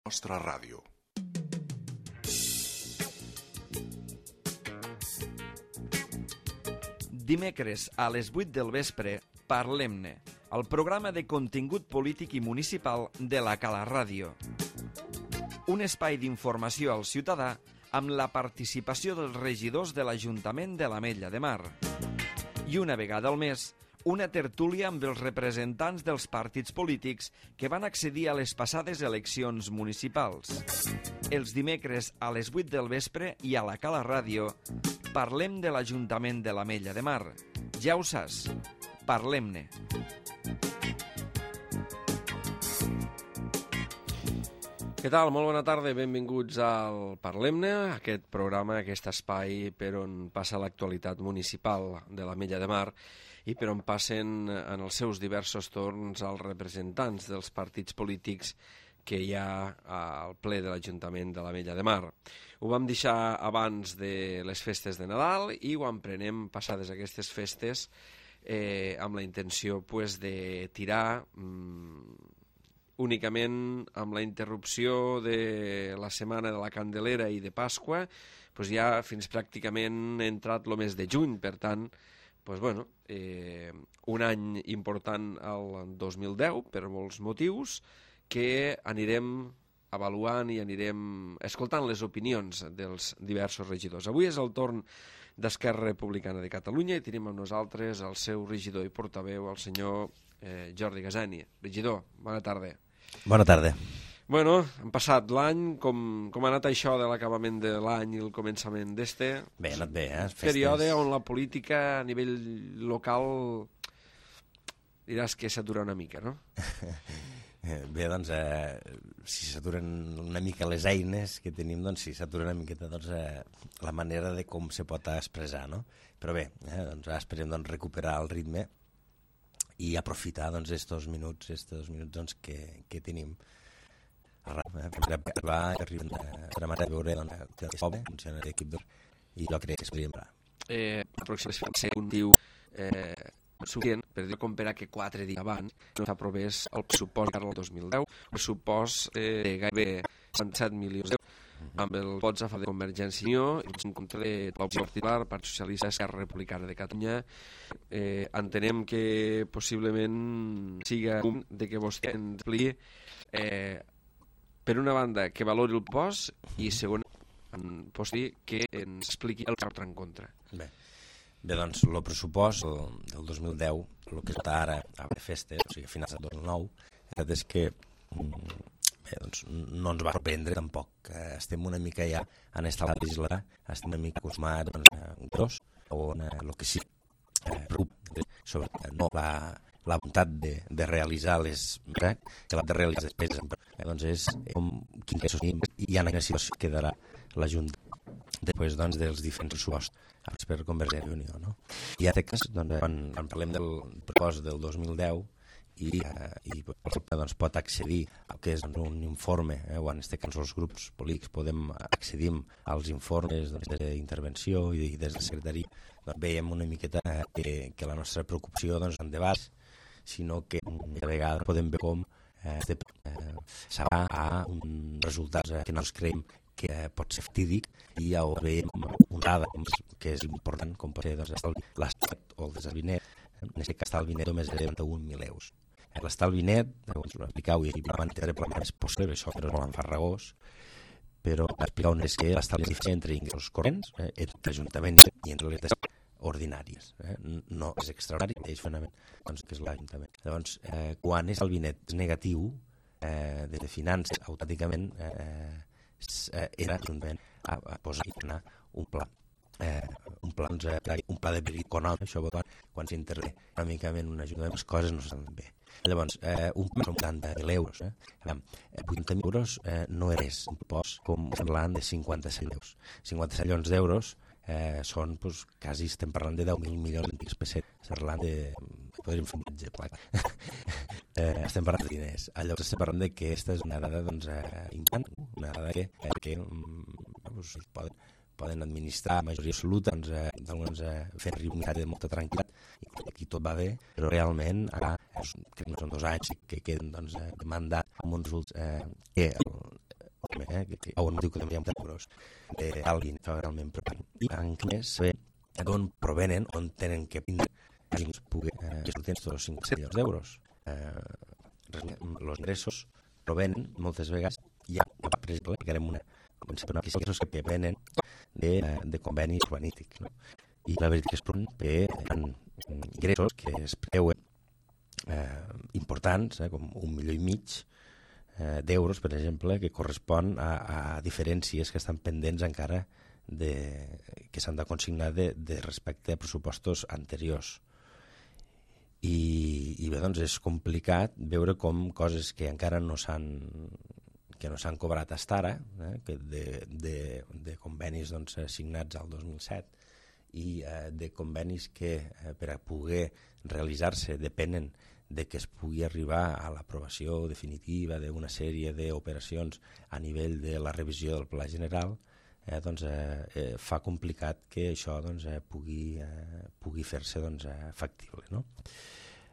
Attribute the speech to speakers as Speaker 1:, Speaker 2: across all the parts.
Speaker 1: Nostra ràdio.
Speaker 2: Dimecres a les 8 del vespre, Parlem-ne, el programa de contingut polític i municipal de la Cala Ràdio. Un espai d'informació al ciutadà amb la participació dels regidors de l'Ajuntament de l'Ametlla de Mar. I una vegada al mes, una tertúlia amb els representants dels partits polítics que van accedir a les passades eleccions municipals. Els dimecres a les 8 del vespre i a la Cala Ràdio parlem de l'Ajuntament de l'Ametlla de Mar. Ja ho saps, parlem-ne.
Speaker 3: Què tal? Molt bona tarda, benvinguts al Parlem-ne, aquest programa, aquest espai per on passa l'actualitat municipal de l'Ametlla de Mar i per on passen en els seus diversos torns els representants dels partits polítics que hi ha al ple de l'Ajuntament de l'Ametlla de Mar. Ho vam deixar abans de les festes de Nadal i ho emprenem passades aquestes festes amb la intenció de tirar únicament amb la interrupció de la setmana de la Candelera i de Pasqua, ja fins pràcticament entrat el mes de juny, per tant, un any important al 2010 per molts motius que anirem avaluant i anirem escoltant les opinions dels diversos regidors. Avui és el torn d'Esquerra Republicana de Catalunya i tenim amb nosaltres el seu regidor i portaveu, el senyor Jordi Gasani. Regidor, bona tarda.
Speaker 4: Bona tarda.
Speaker 3: Bueno, hem passat l'any, com ha anat això de l'acabament de l'any i el començament d'este?
Speaker 4: Bé, ha anat bé,
Speaker 3: Període on la política a nivell local diràs que s'atura una mica, no?
Speaker 4: Bé, doncs, si s'aturen una mica les eines que tenim, doncs sí, s'atura una miqueta la manera de com se pot expressar, no? Però bé, doncs esperem recuperar el ritme i aprofitar estos minuts doncs, que tenim. Va a veure que funciona l'equip i jo crec que es podria emprar.
Speaker 3: Aproximadament ser un diu suficient per dir com per a que 4 dies abans no s'aprovés el pressupost del 2010, el pressupost de gairebé 67 milions d'euros amb el vots a favor de Convergència i Unió i en contra de l'opció particular, Partit Socialista, Esquerra Republicana de Catalunya. Entenem que possiblement siga un de que vostè ens expliqui per una banda que valori el post i segon que ens expliqui el que està en contra.
Speaker 4: Bé, doncs, el pressupost del 2010, el que està ara a festes, o sigui, a finals del 2009, és que no ens va sorprendre tampoc. Estem una mica ja en esta legislatura, estem una mica acostumats gros, o el que sí preocupa sobre no la voluntat de realitzar les despeses, doncs és quin que hi ha una situació que quedarà la Junta després dels diferents pressupostos per Convergència i Unió, no? I en aquest cas, quan parlem del pressupost del 2010 i pot accedir al que és un informe, o en aquest cas els grups polítics podem accedir als informes d'intervenció i des de secretari, veiem una miqueta que la nostra preocupació no és en debats, sinó que a vegades podem veure com s'ava a uns resultats que no ens creiem que pot ser fatídic i ja ho veiem una dada que és important, com pot ser l'estat o el desalbinet. En aquest cas l'estalvi net només és de 91.000 euros. L'estalvi net, ho explicau i van intentar planear més possible, això que no és molt enfarragós, però explicau és que l'estalvi és diferent entre ingressos corrents, entre l'Ajuntament i entre les despeses ordinàries. No és extraordinari, és fonament, que és l'Ajuntament. Llavors, quan és el net és negatiu, des de finances, autòticament era l'Ajuntament a posar un pla de perill econòmic, això quan s'intervé econòmicament un ajuntament, les coses no estan bé. Llavors, un pla són 80.000 euros. 80.000 euros no és un pressupost com parlant de 57 euros. 57 milions d'euros són, quasi estem parlant de 10.000 milions d'antics pessetes. Estem parlant de... podríem fer un exemple. Estem parlant de diners. Llavors estem parlant de que aquesta és una dada important, una dada que poden administrar a majoria absoluta, fent arribar un missatge de molta tranquil·litat i aquí tot va bé, però realment ara crec que són 2 anys que queden de mandat amb uns resultats que on diu que també hi ha euros d'alguin, realment preocupant. I en més, saber d'on provenen, on tenen que vindre, poder gestionar aquests 5 milions d'euros. Els ingressos provenen, moltes vegades, ja, per exemple, ficarem una ingressos que venen de convenis urbanístics, no? I la veritat és que hi ha ingressos que es preveuen importants, com 1,5 milions d'euros, per exemple, que correspon a diferències que estan pendents encara que s'han de consignar de respecte a pressupostos anteriors. I bé, doncs és complicat veure com coses que encara no s'han cobrat fins ara, que de convenis doncs, signats al 2007 i de convenis que per a poder realitzar-se depenen de que es pugui arribar a l'aprovació definitiva d'una sèrie d'operacions a nivell de la revisió del Pla General, doncs, fa complicat que això doncs, pugui fer-se doncs, factible, no?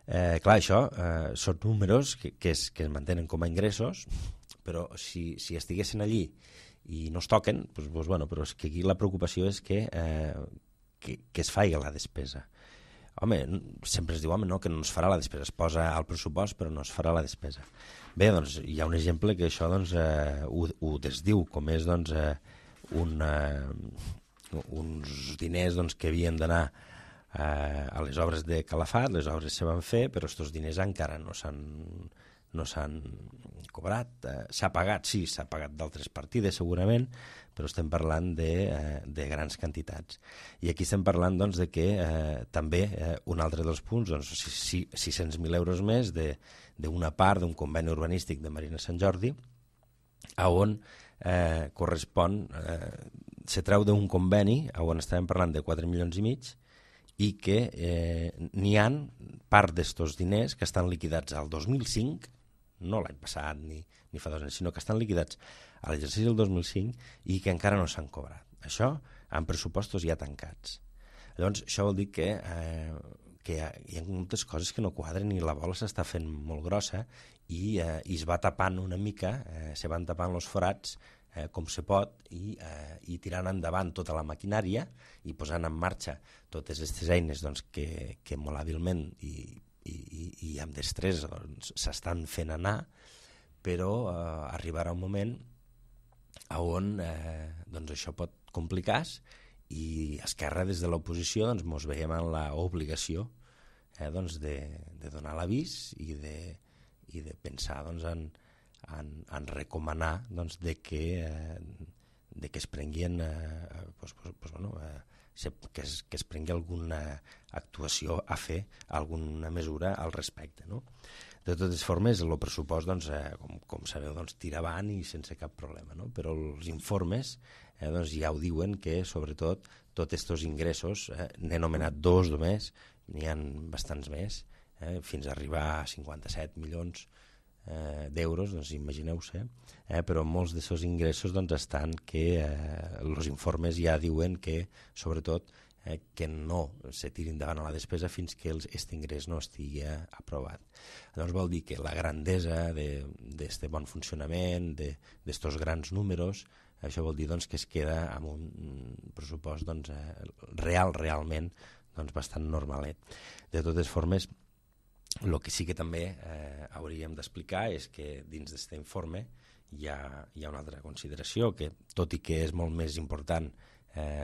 Speaker 4: Clar, això són números que es mantenen com a ingressos, però si estiguessin allí i no es toquen, doncs, bueno, però és que aquí la preocupació és que es faci la despesa. Home, sempre es diu no, que no es farà la despesa, es posa al pressupost però no es farà la despesa. Bé, doncs hi ha un exemple que això doncs, ho desdiu, com és doncs, uns diners doncs, que havien d'anar a les obres de Calafat, les obres se van fer, però aquests diners encara no s'han cobrat. S'ha pagat, sí, s'ha pagat d'altres partides segurament, però estem parlant de grans quantitats. I aquí estem parlant doncs, de que també un altre dels punts, doncs, 600.000 euros més d'una part d'un conveni urbanístic de Marina Sant Jordi, on correspon, se treu d'un conveni on estàvem parlant de 4,5 milions i que n'hi ha part d'estos diners que estan liquidats al 2005, no l'any passat ni fa 2 anys, sinó que estan liquidats a l'exercici del 2005 i que encara no s'han cobrat. Això en pressupostos ja tancats. Llavors, això vol dir que hi ha moltes coses que no quadren i la bola s'està fent molt grossa i es va tapant una mica, se van tapant els forats com se pot i tirant endavant tota la maquinària i posant en marxa totes aquestes eines doncs, que molt hàbilment i amb destresa doncs, s'estan fent anar, però arribarà un moment on doncs, això pot complicar-se i Esquerra des de l'oposició doncs, mos veiem en l'obligació doncs, de donar l'avís i de pensar doncs, en recomanar doncs, que es prenguin que es prengui alguna actuació a fer, alguna mesura al respecte, no? De totes formes, el pressupost, doncs, com sabeu, doncs, tira avant i sense cap problema, no? Però els informes doncs, ja ho diuen que, sobretot, tots aquests ingressos, n'he nomenat 2 només, n'hi ha bastants més, fins a arribar a 57 milions d'euros, doncs imagineu-se, però molts d'aquests ingressos doncs, estan que els informes ja diuen que, sobretot, que no se tiri endavant a la despesa fins que aquest ingrés no estigui aprovat. Llavors vol dir que la grandesa d'aquest bon funcionament, d'aquests grans números, això vol dir doncs, que es queda amb un pressupost doncs, realment doncs, bastant normalet. De totes formes, el que sí que també hauríem d'explicar és que dins d'aquest informe hi ha una altra consideració, que tot i que és molt més important,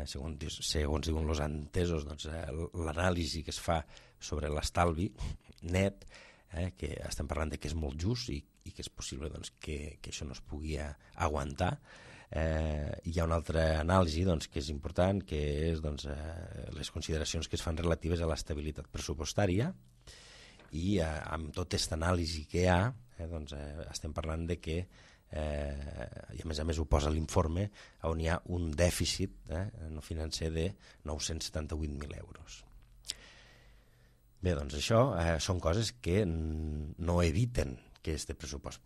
Speaker 4: segons diuen els entesos, doncs, l'anàlisi que es fa sobre l'estalvi net, que estem parlant de que és molt just i que és possible doncs, que això no es pugui aguantar. Hi ha una altra anàlisi doncs, que és important, que és doncs, les consideracions que es fan relatives a l'estabilitat pressupostària, i amb tota aquesta anàlisi que hi ha, doncs, estem parlant de que, i a més ho posa l'informe, on hi ha un dèficit no financer de 978.000 euros. Bé, doncs això són coses que no eviten que aquest pressupost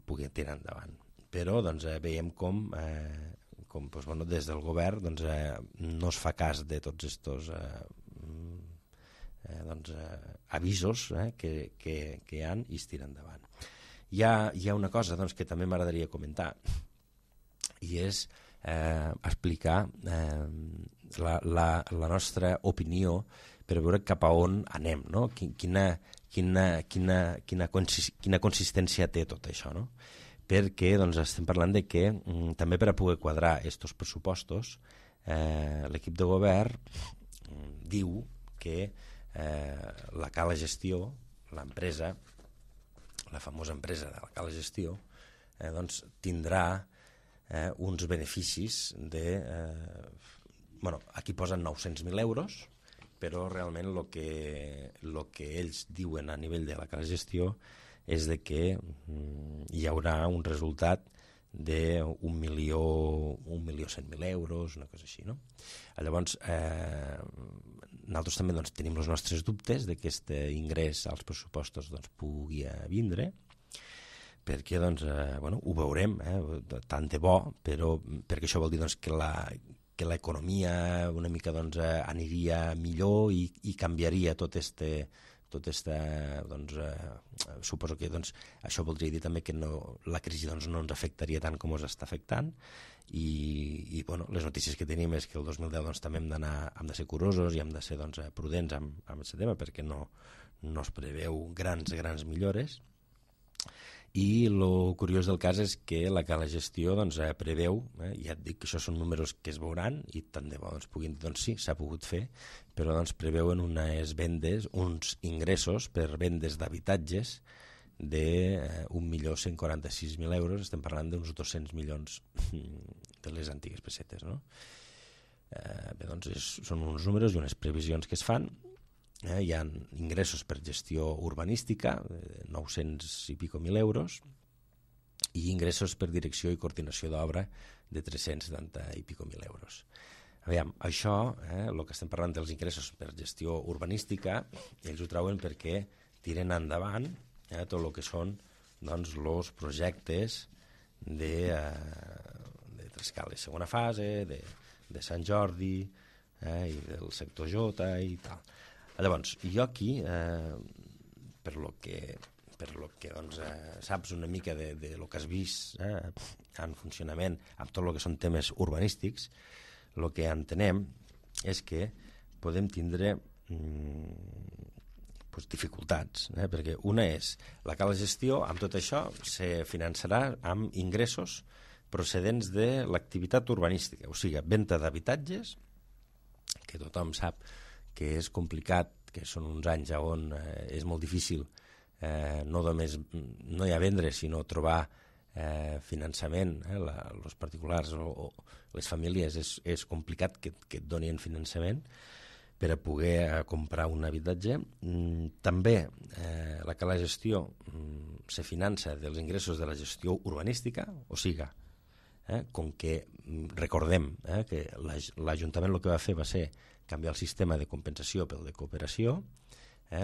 Speaker 4: pugui tirar endavant. Però doncs, veiem com doncs, bueno, des del govern doncs, no es fa cas de tots aquests doncs, avisos que hi ha i es tira endavant. Hi ha una cosa doncs, que també m'agradaria comentar, i és explicar la nostra opinió per veure cap a on anem, no? Quina consistència té tot això, no? Perquè estem parlant de que també per a poder quadrar aquests pressupostos l'equip de govern diu que la Cala Gestió, l'empresa, la famosa empresa de la Cala Gestió, tindrà uns beneficis de... aquí posen 900.000 euros, però realment el que ells diuen a nivell de la Cala Gestió és de que hi haurà un resultat de 1.100.000 euros, una cosa així, no? Llavors, nosaltres també tenim els nostres dubtes de que aquest ingrés als pressupostos pugui vindre, perquè ho veurem, tant de bo, però perquè això vol dir que l'economia una mica aniria millor i canviaria tot suposo que això voldria dir també que la crisi no ens afectaria tant com ens està afectant i les notícies que tenim és que el 2010 també hem de ser curosos i hem de ser prudents amb aquest tema perquè no es preveu grans millores. I el curiós del cas és que la Cala Gestió preveu, ja et dic que això són números que es veuran i tant de bo puguin dir, sí, s'ha pogut fer, però preveuen uns ingressos per vendes d'habitatges de 1.146.000 euros, estem parlant d'uns 200 milions de les antigues pessetes, no? Són uns números i unes previsions que es fan. Hi ha ingressos per gestió urbanística, 900 i pico mil euros, i ingressos per direcció i coordinació d'obra de 370 i pico mil euros. Aviam, això, el que estem parlant dels ingressos per gestió urbanística, ells ho trauen perquè tiren endavant tot el que són els projectes de Trescales segona fase, de Sant Jordi i del sector J i tal. Llavors, jo aquí, per lo que saps una mica de lo que has vist en funcionament amb tot el que són temes urbanístics, el que entenem és que podem tindre dificultats, perquè una és la Cala Gestió, amb tot això se finançarà amb ingressos procedents de l'activitat urbanística, o sigui, venda d'habitatges, que tothom sap que és complicat, que són uns anys on és molt difícil no només no hi ha vendre, sinó trobar finançament, els particulars o les famílies és complicat que et donin finançament per a poder comprar un habitatge. També la Cala Gestió se finança dels ingressos de la gestió urbanística, o sigui, com que recordem que l'Ajuntament el que va fer va ser canviar el sistema de compensació pel de cooperació,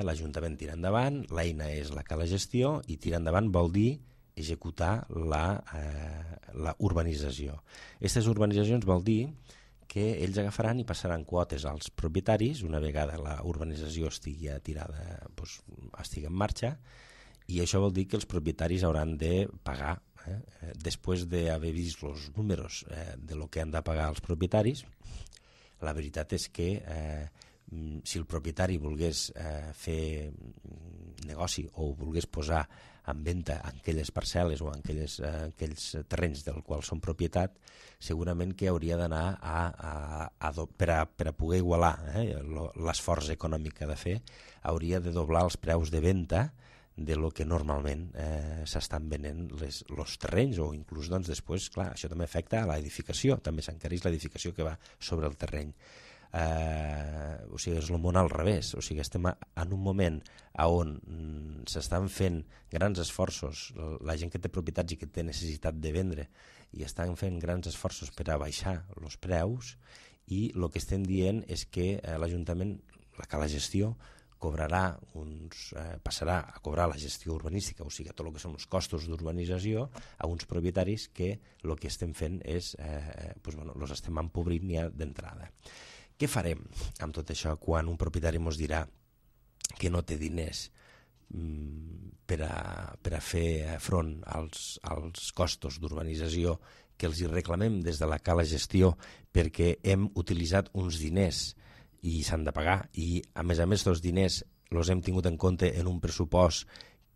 Speaker 4: l'Ajuntament tira endavant, l'eina és la Cala Gestió i tira endavant vol dir executar la urbanització. Aquestes urbanitzacions vol dir que ells agafaran i passaran quotes als propietaris una vegada la urbanització estigui estigui en marxa, i això vol dir que els propietaris hauran de pagar. Després d'haver vist els números de lo que han de pagar els propietaris, la veritat és que si el propietari volgués fer negoci o volgués posar en venda aquelles parcel·les o aquells terrenys del qual són propietat, segurament que hauria d'anar per a poder igualar l'esforç econòmic que ha de fer, hauria de doblar els preus de venda de lo que normalment s'estan venent els terrenys, o inclús després, clar, això també afecta a l'edificació, també s'encareix l'edificació que va sobre el terreny. O sigui, és el món al revés, o sigui, estem en un moment on s'estan fent grans esforços, la gent que té propietats i que té necessitat de vendre, i estan fent grans esforços per a baixar els preus, i el que estem dient és que l'Ajuntament, la Cala Gestió, passarà a cobrar la gestió urbanística, o sigui, tot el que són els costos d'urbanització, a uns propietaris que el que estem fent és, els estem empobrint ja d'entrada. Què farem amb tot això quan un propietari ens dirà que no té diners per a fer front als costos d'urbanització que els hi reclamem des de la cala gestió perquè hem utilitzat uns diners i s'han de pagar, i a més els diners els hem tingut en compte en un pressupost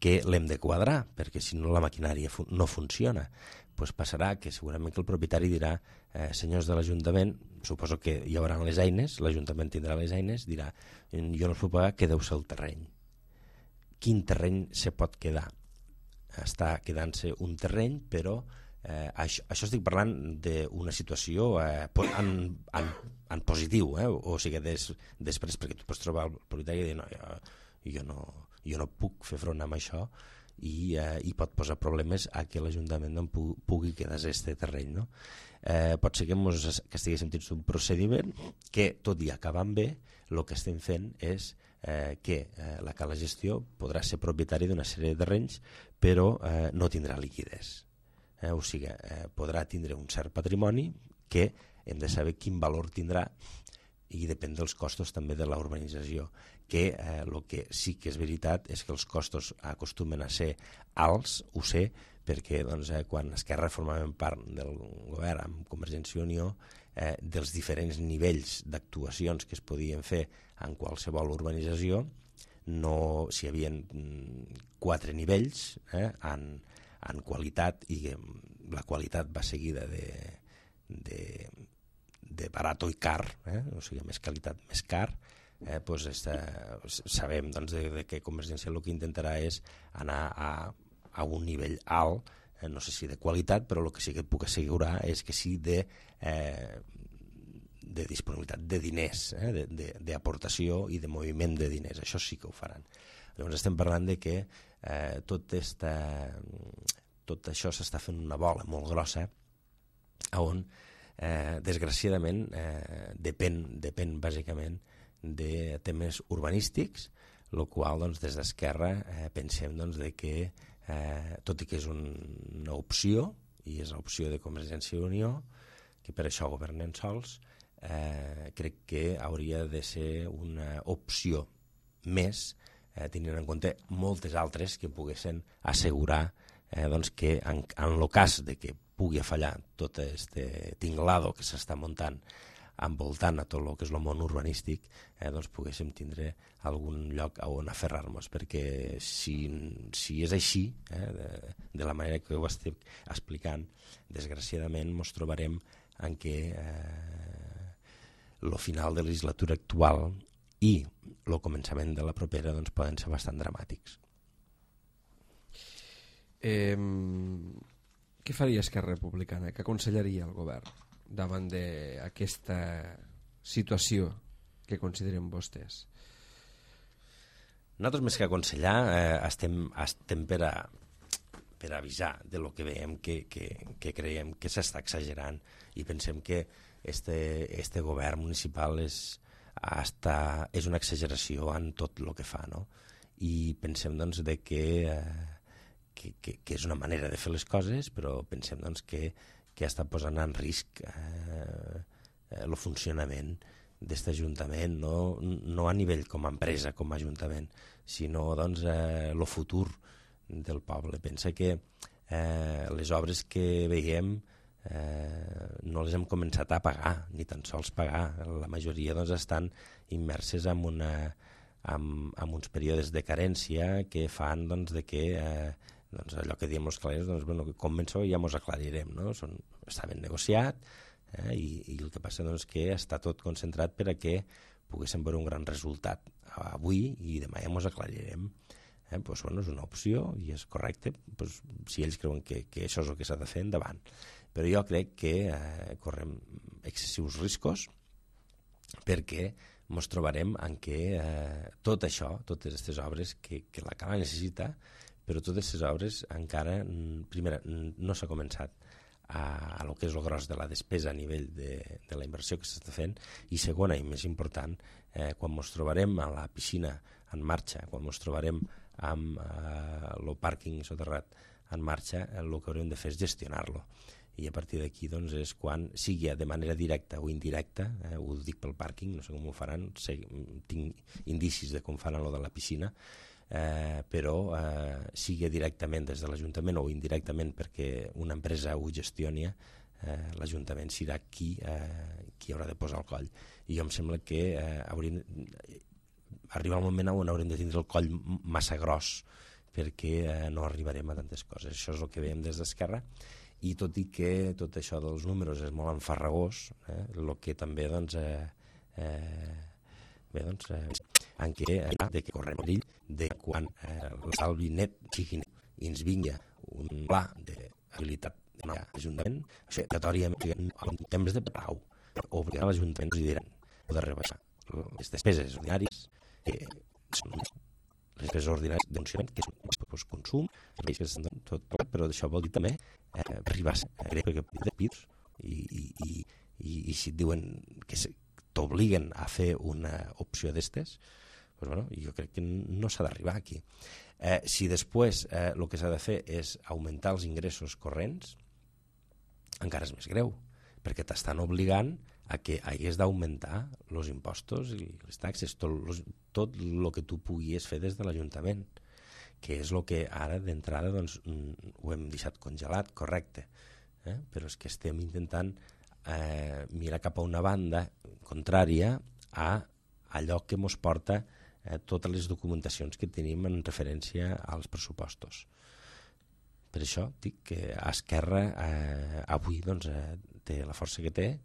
Speaker 4: que l'hem de quadrar, perquè si no la maquinària no funciona. Pues passarà que segurament que el propietari dirà, senyors de l'Ajuntament, suposo que hi haurà les eines, l'Ajuntament tindrà les eines, dirà, jo no us puc pagar, quedeu-se el terreny. Quin terreny se pot quedar? Està quedant-se un terreny, però això estic parlant d'una situació en positiu, o sigui, després, perquè tu pots trobar el propietari i dir, no, jo no puc fer front amb això, i pot posar problemes a que l'Ajuntament no pugui quedar este terreny. No? Pot ser que estiguéssim dins d'un procediment que, tot i acabant bé, el que estem fent és que la cala gestió podrà ser propietari d'una sèrie de terrenys, però no tindrà liquiditat. O sigui, podrà tindre un cert patrimoni que hem de saber quin valor tindrà, i depèn dels costos també de la urbanització, que el que sí que és veritat és que els costos acostumen a ser alts, ho sé, perquè quan Esquerra formàvem part del govern amb Convergència i Unió, dels diferents nivells d'actuacions que es podien fer en qualsevol urbanització, si hi havia 4 nivells en qualitat, i la qualitat va seguida de barato i car, o sigui, més qualitat, més car, sabem que Convergència el que intentarà és anar a un nivell alt, no sé si de qualitat, però el que sí que et puc assegurar és que sí de disponibilitat de diners, d'aportació i de moviment de diners, això sí que ho faran. Llavors estem parlant de que tot això s'està fent una bola molt grossa, on desgraciadament depèn bàsicament de temes urbanístics, el qual des d'Esquerra pensem que tot i que és una opció, i és l'opció de Convergència i Unió, que per això governen sols, crec que hauria de ser una opció més, tenint en compte moltes altres que poguessin assegurar que en el cas de que pugui fallar tot este tinglado que s'està muntant envoltant a tot el que és el món urbanístic, poguéssim tindre algun lloc on aferrar-nos, perquè si és així, de la manera que ho estic explicant, desgraciadament ens trobarem en què el final de la legislatura actual i el començament de la propera poden ser bastant dramàtics.
Speaker 3: Què faria Esquerra Republicana? Què aconsellaria el govern davant d'aquesta situació que consideren vostès?
Speaker 4: Nosaltres, més que aconsellar, estem per avisar de lo que veiem que creiem que s'està exagerant, i pensem que este govern municipal és una exageració en tot el que fa, no? I pensem que és una manera de fer les coses, però pensem que està posant en risc el funcionament d'aquest Ajuntament, no a nivell com a empresa, com a Ajuntament, sinó el futur del poble. Pensa que les obres que veiem no les hem començat a pagar, ni tan sols pagar. La majoria estan immerses en uns períodes de carència que fan que allò que diem els clerers, com això ja ens aclarirem, no? Està ben negociat, i el que passa és que està tot concentrat per a que poguéssim veure un gran resultat avui i demà ja ens aclarirem. És una opció i és correcte, si ells creuen que això és el que s'ha de fer, endavant. Però jo crec que correm excessius riscos, perquè ens trobarem en què tot això, totes aquestes obres que la Cala necessita, però totes aquestes obres encara, primera, no s'ha començat a lo que és el gros de la despesa a nivell de la inversió que s'està fent, i segona i més important, quan ens trobarem a la piscina en marxa, quan ens trobarem amb el pàrquing soterrat en marxa, el que haurem de fer és gestionar-lo, i a partir d'aquí és quan, sigui de manera directa o indirecta, ho dic pel pàrquing, no sé com ho faran, tinc indicis de com faran lo de la piscina, però sigui directament des de l'Ajuntament o indirectament perquè una empresa ho gestioni, l'Ajuntament serà qui haurà de posar el coll. I jo em sembla que arriba el moment on haurem de tindre el coll massa gros perquè no arribarem a tantes coses. Això és el que veiem des d'Esquerra, i tot i que tot això dels números és molt enfarragós, el que també en què de que correm perill de quan l'estalvi net sigui net i ens vingui un pla d'habilitat de l'Ajuntament, això obligatòriament en temps de pau obligar l'Ajuntament i diran de rebaixar les despeses ordinàries que són les despeses ordinàries de funcionament, que són consum, però això vol dir també arribar a de PIBs i si et diuen que t'obliguen a fer una opció d'estes, jo crec que no s'ha d'arribar aquí. Si després el que s'ha de fer és augmentar els ingressos corrents, encara és més greu, perquè t'estan obligant a que hagués d'augmentar els impostos i les taxes, tot el que tu puguis fer des de l'Ajuntament, que és el que ara d'entrada ho hem deixat congelat, correcte, però és que estem intentant mirar cap a una banda contrària a allò que ens porta totes les documentacions que tenim en referència als pressupostos. Per això dic que Esquerra avui té la força que té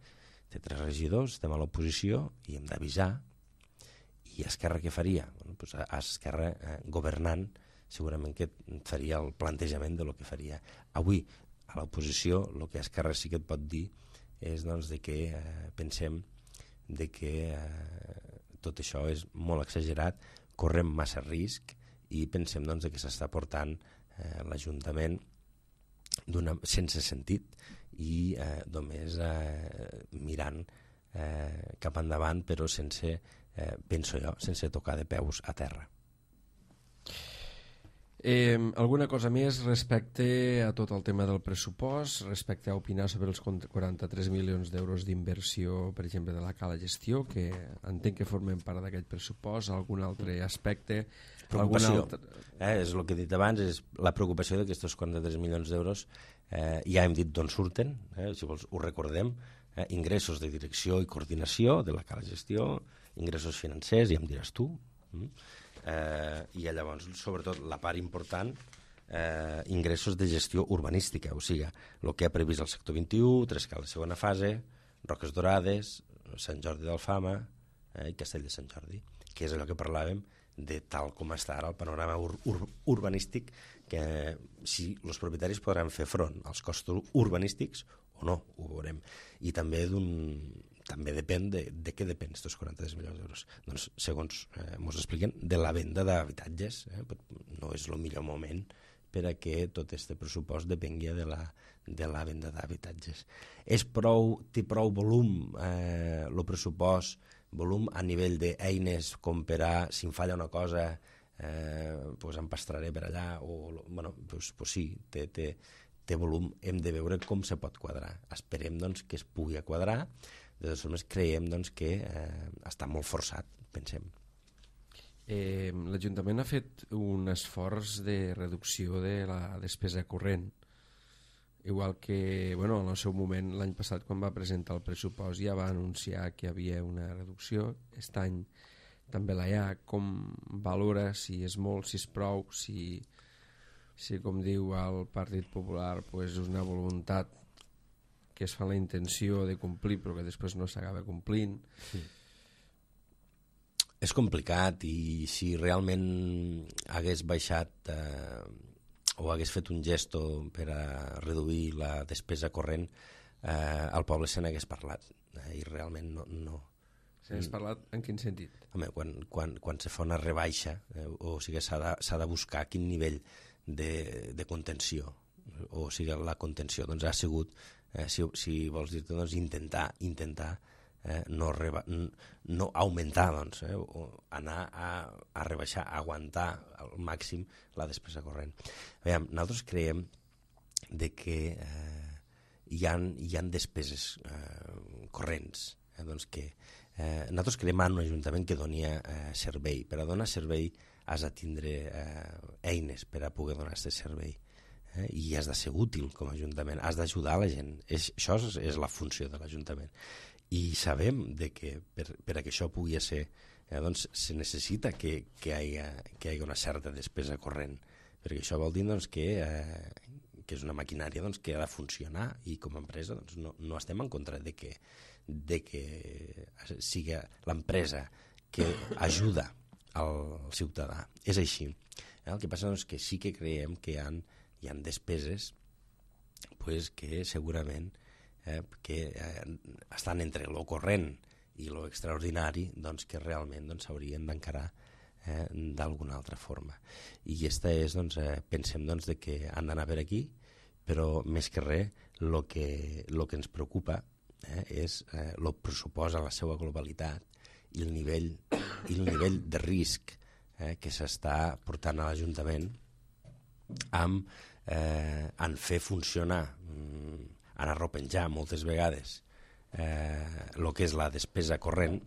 Speaker 4: 3 regidors, estem a l'oposició i hem d'avisar. I Esquerra què faria? Esquerra governant segurament que faria el plantejament de lo que faria. Avui a l'oposició el que Esquerra sí que et pot dir és de que pensem de que tot això és molt exagerat, correm massa risc i pensem que s'està portant l'Ajuntament sense sentit i només mirant cap endavant, però sense, penso jo, sense tocar de peus a terra.
Speaker 3: Alguna cosa més respecte a tot el tema del pressupost, respecte a opinar sobre els 43 milions d'euros d'inversió, per exemple, de la Cala Gestió, que entenc que formen part d'aquest pressupost, algun altre aspecte?
Speaker 4: Preocupació. És el que he dit abans, és la preocupació d'aquests 43 milions d'euros. Ja hem dit d'on surten, si vols ho recordem, ingressos de direcció i coordinació de la Cala Gestió, ingressos financers, ja em diràs tu, i llavors, sobretot, la part important, ingressos de gestió urbanística, o sigui, el que ha previst el sector 21, Trescala segona fase, Roques Dorades, Sant Jordi d'Alfama i Castell de Sant Jordi, que és allò que parlàvem de tal com està ara el panorama urbanístic, que si els propietaris podran fer front als costos urbanístics o no, ho veurem. I també depèn de què depèn aquests 43 milions d'euros. Doncs, segons ens expliquen, de la venda d'habitatges. No és el millor moment per a que tot aquest pressupost depengui de la venda d'habitatges. Té prou volum el pressupost, volum a nivell d'eines com per a, si em falla una cosa, em pastraré per allà, sí, té volum. Hem de veure com se pot quadrar. Esperem que es pugui quadrar. De totes formes, creiem que està molt forçat, pensem.
Speaker 3: L'Ajuntament ha fet un esforç de reducció de la despesa corrent, igual que en el seu moment, l'any passat, quan va presentar el pressupost, ja va anunciar que hi havia una reducció. Aquest any també la hi ha. Com valora si és molt, si és prou, si com diu el Partit Popular, és una voluntat que es fa la intenció de complir però que després no s'acaba complint?
Speaker 4: Sí. És complicat, i si realment hagués baixat o hagués fet un gesto per a reduir la despesa corrent, el poble se n'hagués parlat, i realment no.
Speaker 3: Se n'hagués parlat en quin sentit?
Speaker 4: Home, quan se fa una rebaixa, o sigui, s'ha de buscar quin nivell de contenció, o sigui, la contenció ha sigut, si vols dir-te, intentar no augmentar, o anar a rebaixar, a aguantar al màxim la despesa corrent. Nosaltres creiem que hi ha despeses corrents, que nosaltres creiem en un ajuntament que doni servei. Per a donar servei has de tindre eines per a poder donar aquest servei. i has de ser útil com a Ajuntament, has d'ajudar la gent. Això és la funció de l'Ajuntament. I sabem que per a que això pugui ser, doncs se necessita que hi hagi una certa despesa corrent, perquè això vol dir que és una maquinària que ha de funcionar, i com a empresa no estem en contra de que sigui l'empresa que ajuda al ciutadà. És així. El que passa és que sí que creiem que hi ha despeses que segurament que estan entre lo corrent i lo extraordinari, que realment s'haurien d'encarar d'alguna altra forma. I aquesta és, pensem que han d'anar per aquí, però més que res el que ens preocupa és el pressupost a la seva globalitat i el nivell de risc que s'està portant a l'Ajuntament en fer funcionar, en arropenjar moltes vegades el que és la despesa corrent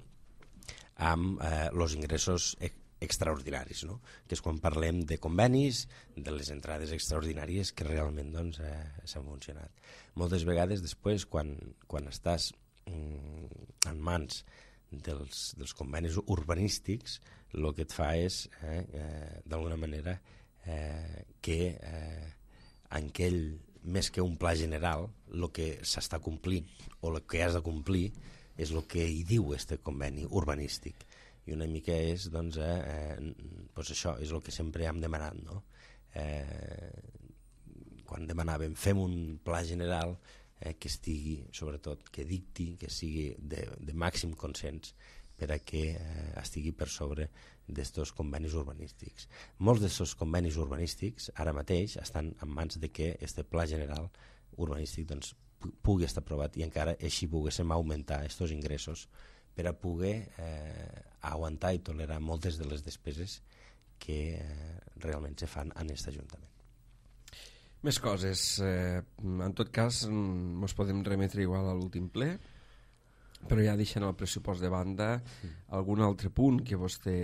Speaker 4: amb els ingressos extraordinaris, no? Que és quan parlem de convenis, de les entrades extraordinàries que realment s'han funcionat. Moltes vegades després, quan estàs en mans dels convenis urbanístics, el que et fa és, d'alguna manera, que en aquell, més que un pla general, el que s'està complint o el que has de complir és el que hi diu este conveni urbanístic. I una mica és, això, és el que sempre hem demanat, no? Quan demanàvem, fem un pla general que estigui, sobretot, que dicti, que sigui de màxim consens per a que estigui per sobre d'estos convenis urbanístics. Molts d'aquests convenis urbanístics ara mateix estan en mans de que este pla general urbanístic pugui estar aprovat i encara així poguéssim augmentar aquests ingressos per a poder aguantar i tolerar moltes de les despeses que realment se fan en aquest Ajuntament.
Speaker 3: Més coses. En tot cas, ens podem remetre igual a l'últim ple, però ja deixant el pressupost de banda, algun altre punt que vostè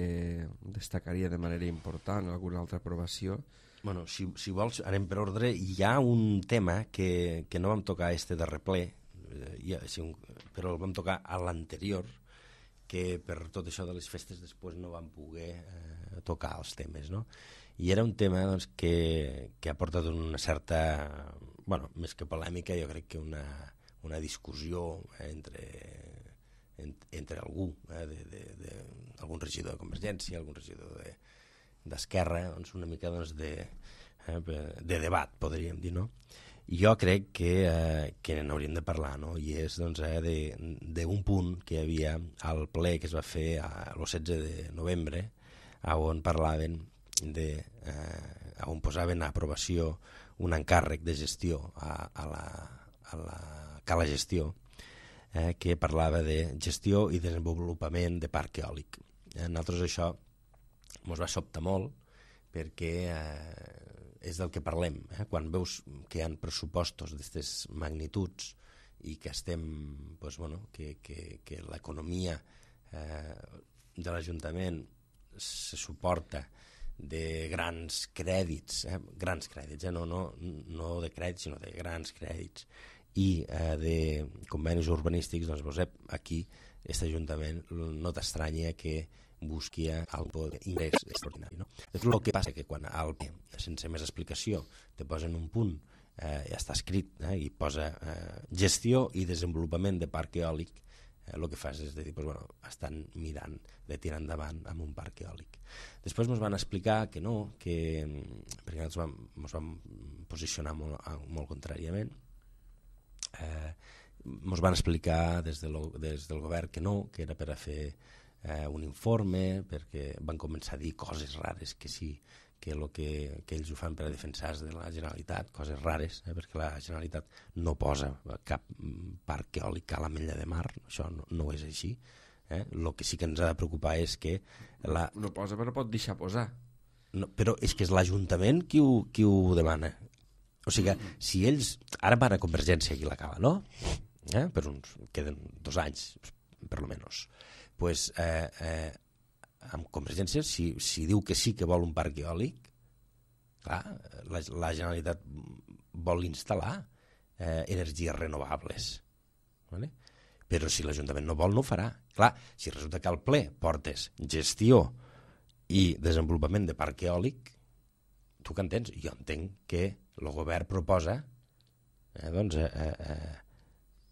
Speaker 3: destacaria de manera important, alguna altra aprovació?
Speaker 4: Bueno, si vols, anem per ordre. Hi ha un tema que no vam tocar este darrer ple, però el vam tocar a l'anterior, que per tot això de les festes després no vam poder tocar els temes, no? I era un tema que ha portat una certa, bueno, més que polèmica, jo crec que una discussió entre algú, algun regidor de Convergència, algun regidor d'Esquerra, una mica de debat, podríem dir, no? Jo crec que n'hauríem de parlar, no? I és d'un punt que hi havia al ple que es va fer el 16 de novembre, on parlaven on posaven a aprovació un encàrrec de gestió a la Cala Gestió, que parlava de gestió i desenvolupament de parc eòlic. A nosaltres això ens va sobtar molt perquè és del que parlem. Quan veus que hi ha pressupostos d'aquestes magnituds i que que l'economia de l'Ajuntament se suporta de grans crèdits, no de crèdits, sinó de grans crèdits, i de convenis urbanístics, doncs aquí, aquest Ajuntament, no t'estranya que busqui algun ingrés extraordinari, no? El que passa que quan sense més explicació te posen un punt, ja està escrit, i posa gestió i desenvolupament de parc eòlic, el que fas és dir, estan mirant de tirar endavant amb un parc eòlic. Després ens van explicar que no, perquè ens vam posicionar molt contràriament. Ens van explicar des del govern que no, que era per a fer un informe, perquè van començar a dir coses rares, que sí, que ells ho fan per a defensar de la Generalitat, coses rares, perquè la Generalitat no posa cap parc eòlic a l'Ametlla de Mar, això no és així. El que sí que ens ha de preocupar és que...
Speaker 3: No posa, però pot deixar posar.
Speaker 4: No, però és que és l'Ajuntament qui ho demana. O sigui, si ells... Ara van a Convergència aquí a la Cala, no? Per uns... Queden 2 anys, per lo menos. Pues, amb Convergència, si diu que sí que vol un parc eòlic, Clar, la Generalitat vol instal·lar energies renovables, vale? Però si l'Ajuntament no vol, no ho farà. Clar, si resulta que al ple portes gestió i desenvolupament de parc eòlic, tu què entens? Jo entenc que el govern proposa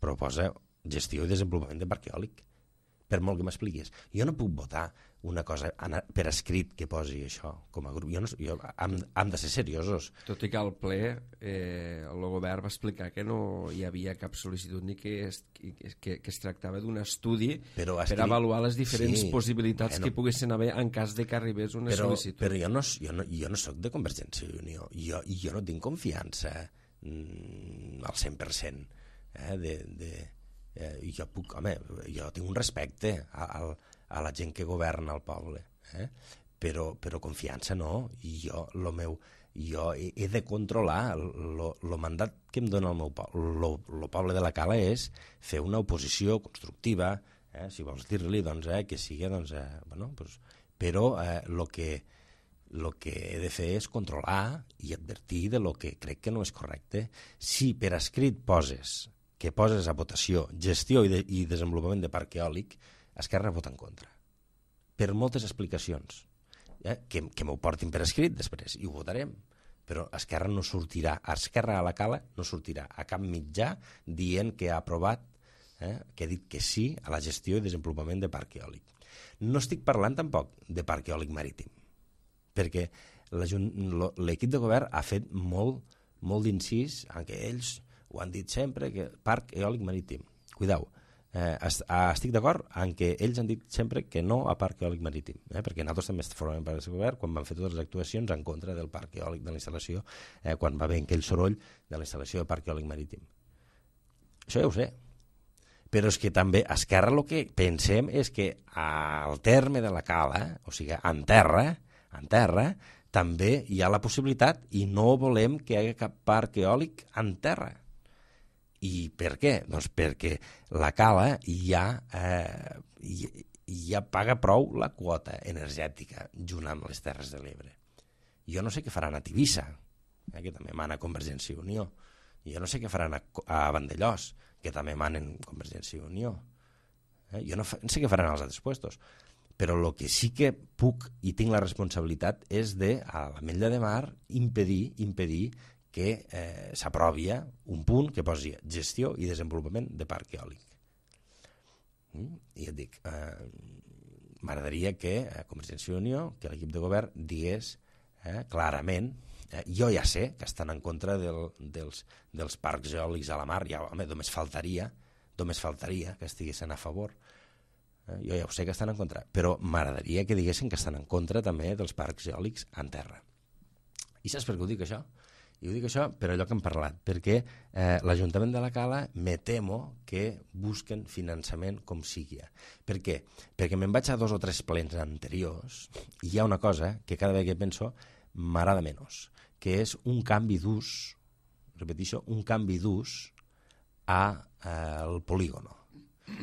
Speaker 4: proposa gestió i desenvolupament de parc eòlic, per molt que m'expliquis. Jo no puc votar una cosa per escrit que posi això com a grup. Hem de ser seriosos.
Speaker 3: Tot i que al ple el govern va explicar que no hi havia cap sol·licitud ni que es tractava d'un estudi per avaluar les diferents possibilitats que poguessin haver en cas de que arribés una sol·licitud.
Speaker 4: Però jo no soc de Convergència i Unió. Jo no tinc confiança al 100%. Jo tinc un respecte a la gent que governa el poble, però confiança no. Jo he de controlar el mandat que em dona el meu poble. El poble de la Cala és fer una oposició constructiva, si vols dir-li que sigui, però el que he de fer és controlar i advertir de lo que crec que no és correcte. Si per escrit poses a votació gestió i desenvolupament de parc eòlic, Esquerra vota en contra. Per moltes explicacions. Que m'ho portin per escrit després, i ho votarem. Però Esquerra no sortirà, Esquerra a la Cala no sortirà a cap mitjà dient que ha aprovat, que ha dit que sí a la gestió i desenvolupament de parc eòlic. No estic parlant tampoc de parc eòlic marítim, perquè l'equip de govern ha fet molt d'incís en què ells ho han dit sempre, que parc eòlic marítim. Cuidao, estic d'acord en què ells han dit sempre que no a parc eòlic marítim, perquè nosaltres també formem part del govern quan van fer totes les actuacions en contra del parc eòlic de la instal·lació, quan va haver aquell soroll de la instal·lació de parc eòlic marítim. Això ja ho sé. Però és que també a Esquerra el que pensem és que al terme de la Cala, o sigui, en terra, també hi ha la possibilitat i no volem que hi hagi cap parc eòlic en terra. I per què? Doncs perquè la Cala ja paga prou la quota energètica junt amb les Terres de l'Ebre. Jo no sé què faran a Tivissa, que també mana Convergència i Unió. Jo no sé què faran a Vandellós, que també manen Convergència i Unió. Jo no sé què faran als altres puestos. Però el que sí que puc i tinc la responsabilitat és de, a l'Ametlla de Mar, impedir que s'aprovi un punt que posi gestió i desenvolupament de parc eòlic. I et dic, m'agradaria que Convergència i Unió, que l'equip de govern, digués clarament, jo ja sé que estan en contra dels parcs eòlics a la mar, ja, home, només faltaria que estiguessin a favor. Jo ja ho sé que estan en contra, però m'agradaria que diguessin que estan en contra també dels parcs eòlics en terra. I saps per què ho dic això? I ho dic això per allò que hem parlat, perquè l'Ajuntament de la Cala me temo que busquen finançament com sigui. Per què? Perquè me'n vaig a 2 o 3 plens anteriors i hi ha una cosa que cada vegada que penso m'agrada menys, que és un canvi d'ús, repeteixo, un canvi d'ús al polígono.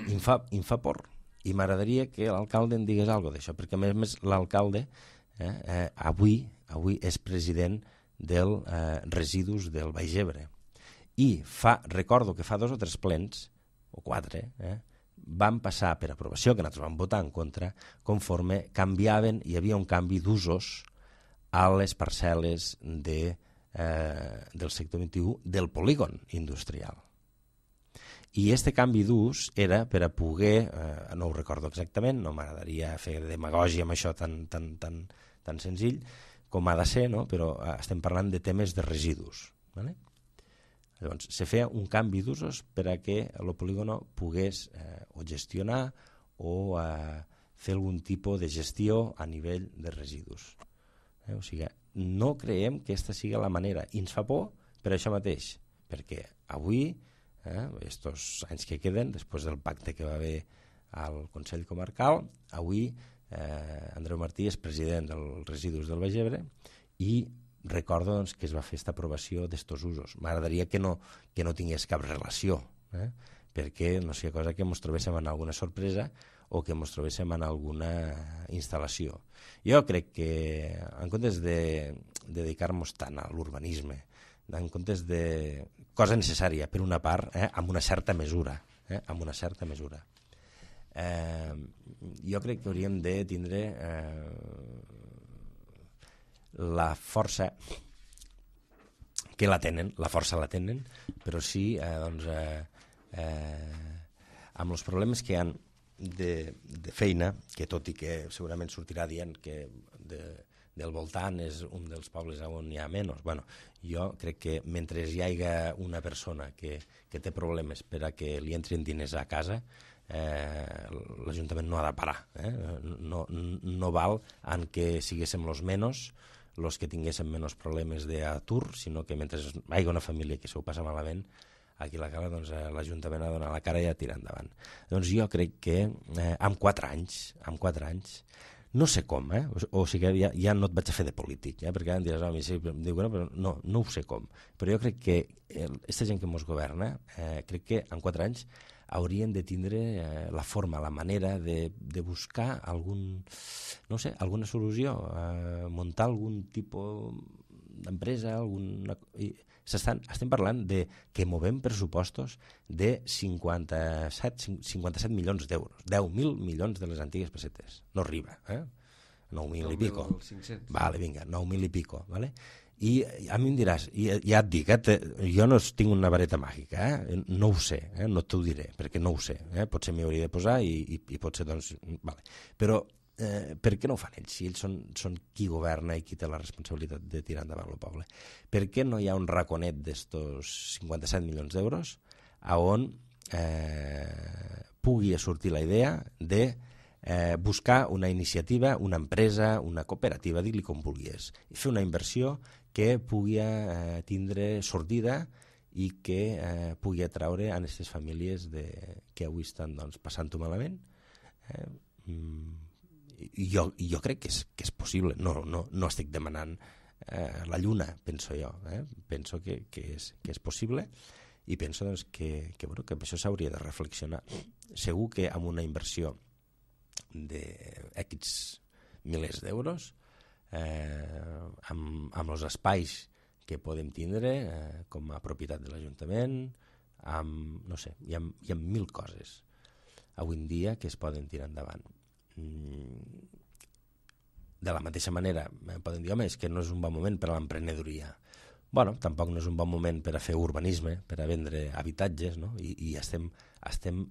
Speaker 4: Em fa por i m'agradaria que l'alcalde en digués alguna cosa d'això, perquè a més l'alcalde avui és president dels residus del Baix Ebre. I recordo que fa 2 o 3 plens, o 4, van passar per aprovació, que nosaltres vam votar en contra, conforme canviaven, hi havia un canvi d'usos a les parcel·les del sector 21 del polígon industrial. I aquest canvi d'ús era per a poder, no ho recordo exactament, no m'agradaria fer demagògia amb això tan senzill, com ha de ser, no? Però estem parlant de temes de residus. ¿Vale? Llavors, se feia un canvi d'usos per a que el polígono pogués o gestionar o fer algun tipus de gestió a nivell de residus. O sigui, no creiem que aquesta sigui la manera. I ens fa por per això mateix, perquè avui, estos anys que queden, després del pacte que va haver al Consell Comarcal, avui Andreu Martí és president dels residus del Baix Ebre i recordo que es va fer aquesta aprovació d'estos usos. M'agradaria que no tingués cap relació, perquè no sigui cosa que ens trobéssim en alguna sorpresa o que ens trobéssim en alguna instal·lació. Jo crec que en comptes dedicar-nos tant a l'urbanisme, en comptes de cosa necessària, per una part, amb una certa mesura. Amb una certa mesura. Jo crec que hauríem de tindre la força que la tenen, la força la tenen, però sí amb els problemes que hi ha de feina, que tot i que segurament sortirà dient que del voltant és un dels pobles on hi ha menys. Bueno, jo crec que mentre hi hagi una persona que té problemes per a que li entrin diners a casa, l'Ajuntament no ha de parar. No val en que siguéssim els menys, els que tinguéssim menys problemes d'atur, sinó que mentre hi hagi una família que s'ho passa malament, aquí a la Cala, doncs, l'Ajuntament ha de donar la cara i a tirar endavant. Doncs jo crec que amb 4 anys, no sé com, o sigui, ja no et vaig a fer de polític, perquè ara em diràs, sí, dic, però no ho sé com, però jo crec que aquesta gent que ens governa, crec que en 4 anys haurien de tindre la forma, la manera de buscar alguna solució, muntar algun tipus d'empresa, estem parlant de que movem pressupostos de 57 milions d'euros, 10.000 milions de les antigues pessetes, no arriba, 9.000 i pico. Vale, vinga, 9.000 i pico, vale? I a mi em diràs, ja et dic, jo no tinc una vareta màgica, no ho sé, no t'ho diré, perquè no ho sé, potser m'hi hauria de posar i potser, doncs, vale. Però per què no ho fan ells? Si ells són qui governa i qui té la responsabilitat de tirar endavant el poble. Per què no hi ha un raconet d'estos 57 milions d'euros on pugui sortir la idea de buscar una iniciativa, una empresa, una cooperativa, digue-li com vulguis, i fer una inversió que pugui tindre sortida i que pugui atraure a aquestes famílies que avui estan passant-ho malament? Jo crec que és possible, no estic demanant la lluna, penso jo, penso que és possible i penso doncs, que amb això s'hauria de reflexionar. Segur que amb una inversió d'X milers d'euros, amb els espais que podem tindre com a propietat de l'Ajuntament, no sé, hi ha 1.000 coses avui en dia que es poden tirar endavant. De la mateixa manera podem dir, home, és que no és un bon moment per a l'emprenedoria. Bueno, tampoc no és un bon moment per a fer urbanisme, per a vendre habitatges, no? I estem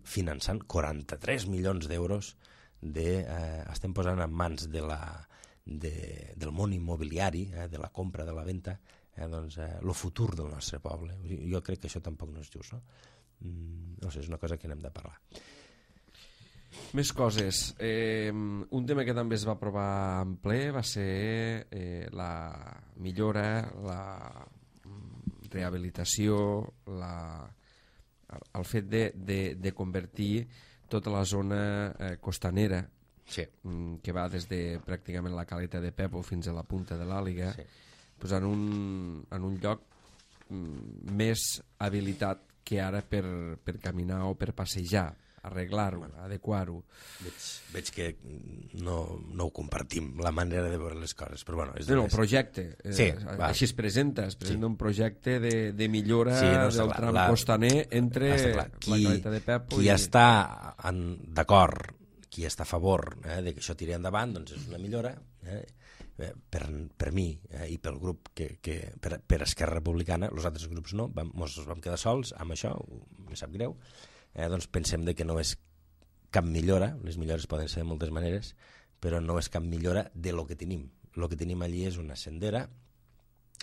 Speaker 4: finançant 43 milions d'euros, estem posant en mans del món immobiliari, de la compra, de la venda, el futur del nostre poble. Jo crec que això tampoc no és just, no? No sé, és una cosa que n'hem de parlar.
Speaker 3: Més coses. Un tema que també es va aprovar en ple va ser la millora, la rehabilitació, el fet de convertir tota la zona costanera,
Speaker 4: sí,
Speaker 3: que va des de pràcticament la caleta de Pepo fins a la punta de l'Àliga, sí, pues en un lloc més habilitat que ara per caminar o per passejar, arreglar-ho, adequar-ho.
Speaker 4: Veig que no ho compartim, la manera de veure les coses, però bueno...
Speaker 3: No, el projecte.
Speaker 4: Sí,
Speaker 3: així es presenta un projecte de millora del tram costaner entre la caleta de Pepo
Speaker 4: qui està d'acord, qui està a favor de que això tiri endavant, doncs és una millora. Per mi i pel grup per Esquerra Republicana, els altres grups no, ens vam quedar sols amb això, em sap greu. Doncs pensem que no és cap millora, les millores poden ser de moltes maneres, però no és cap millora de lo que tenim. El que tenim allí és una sendera,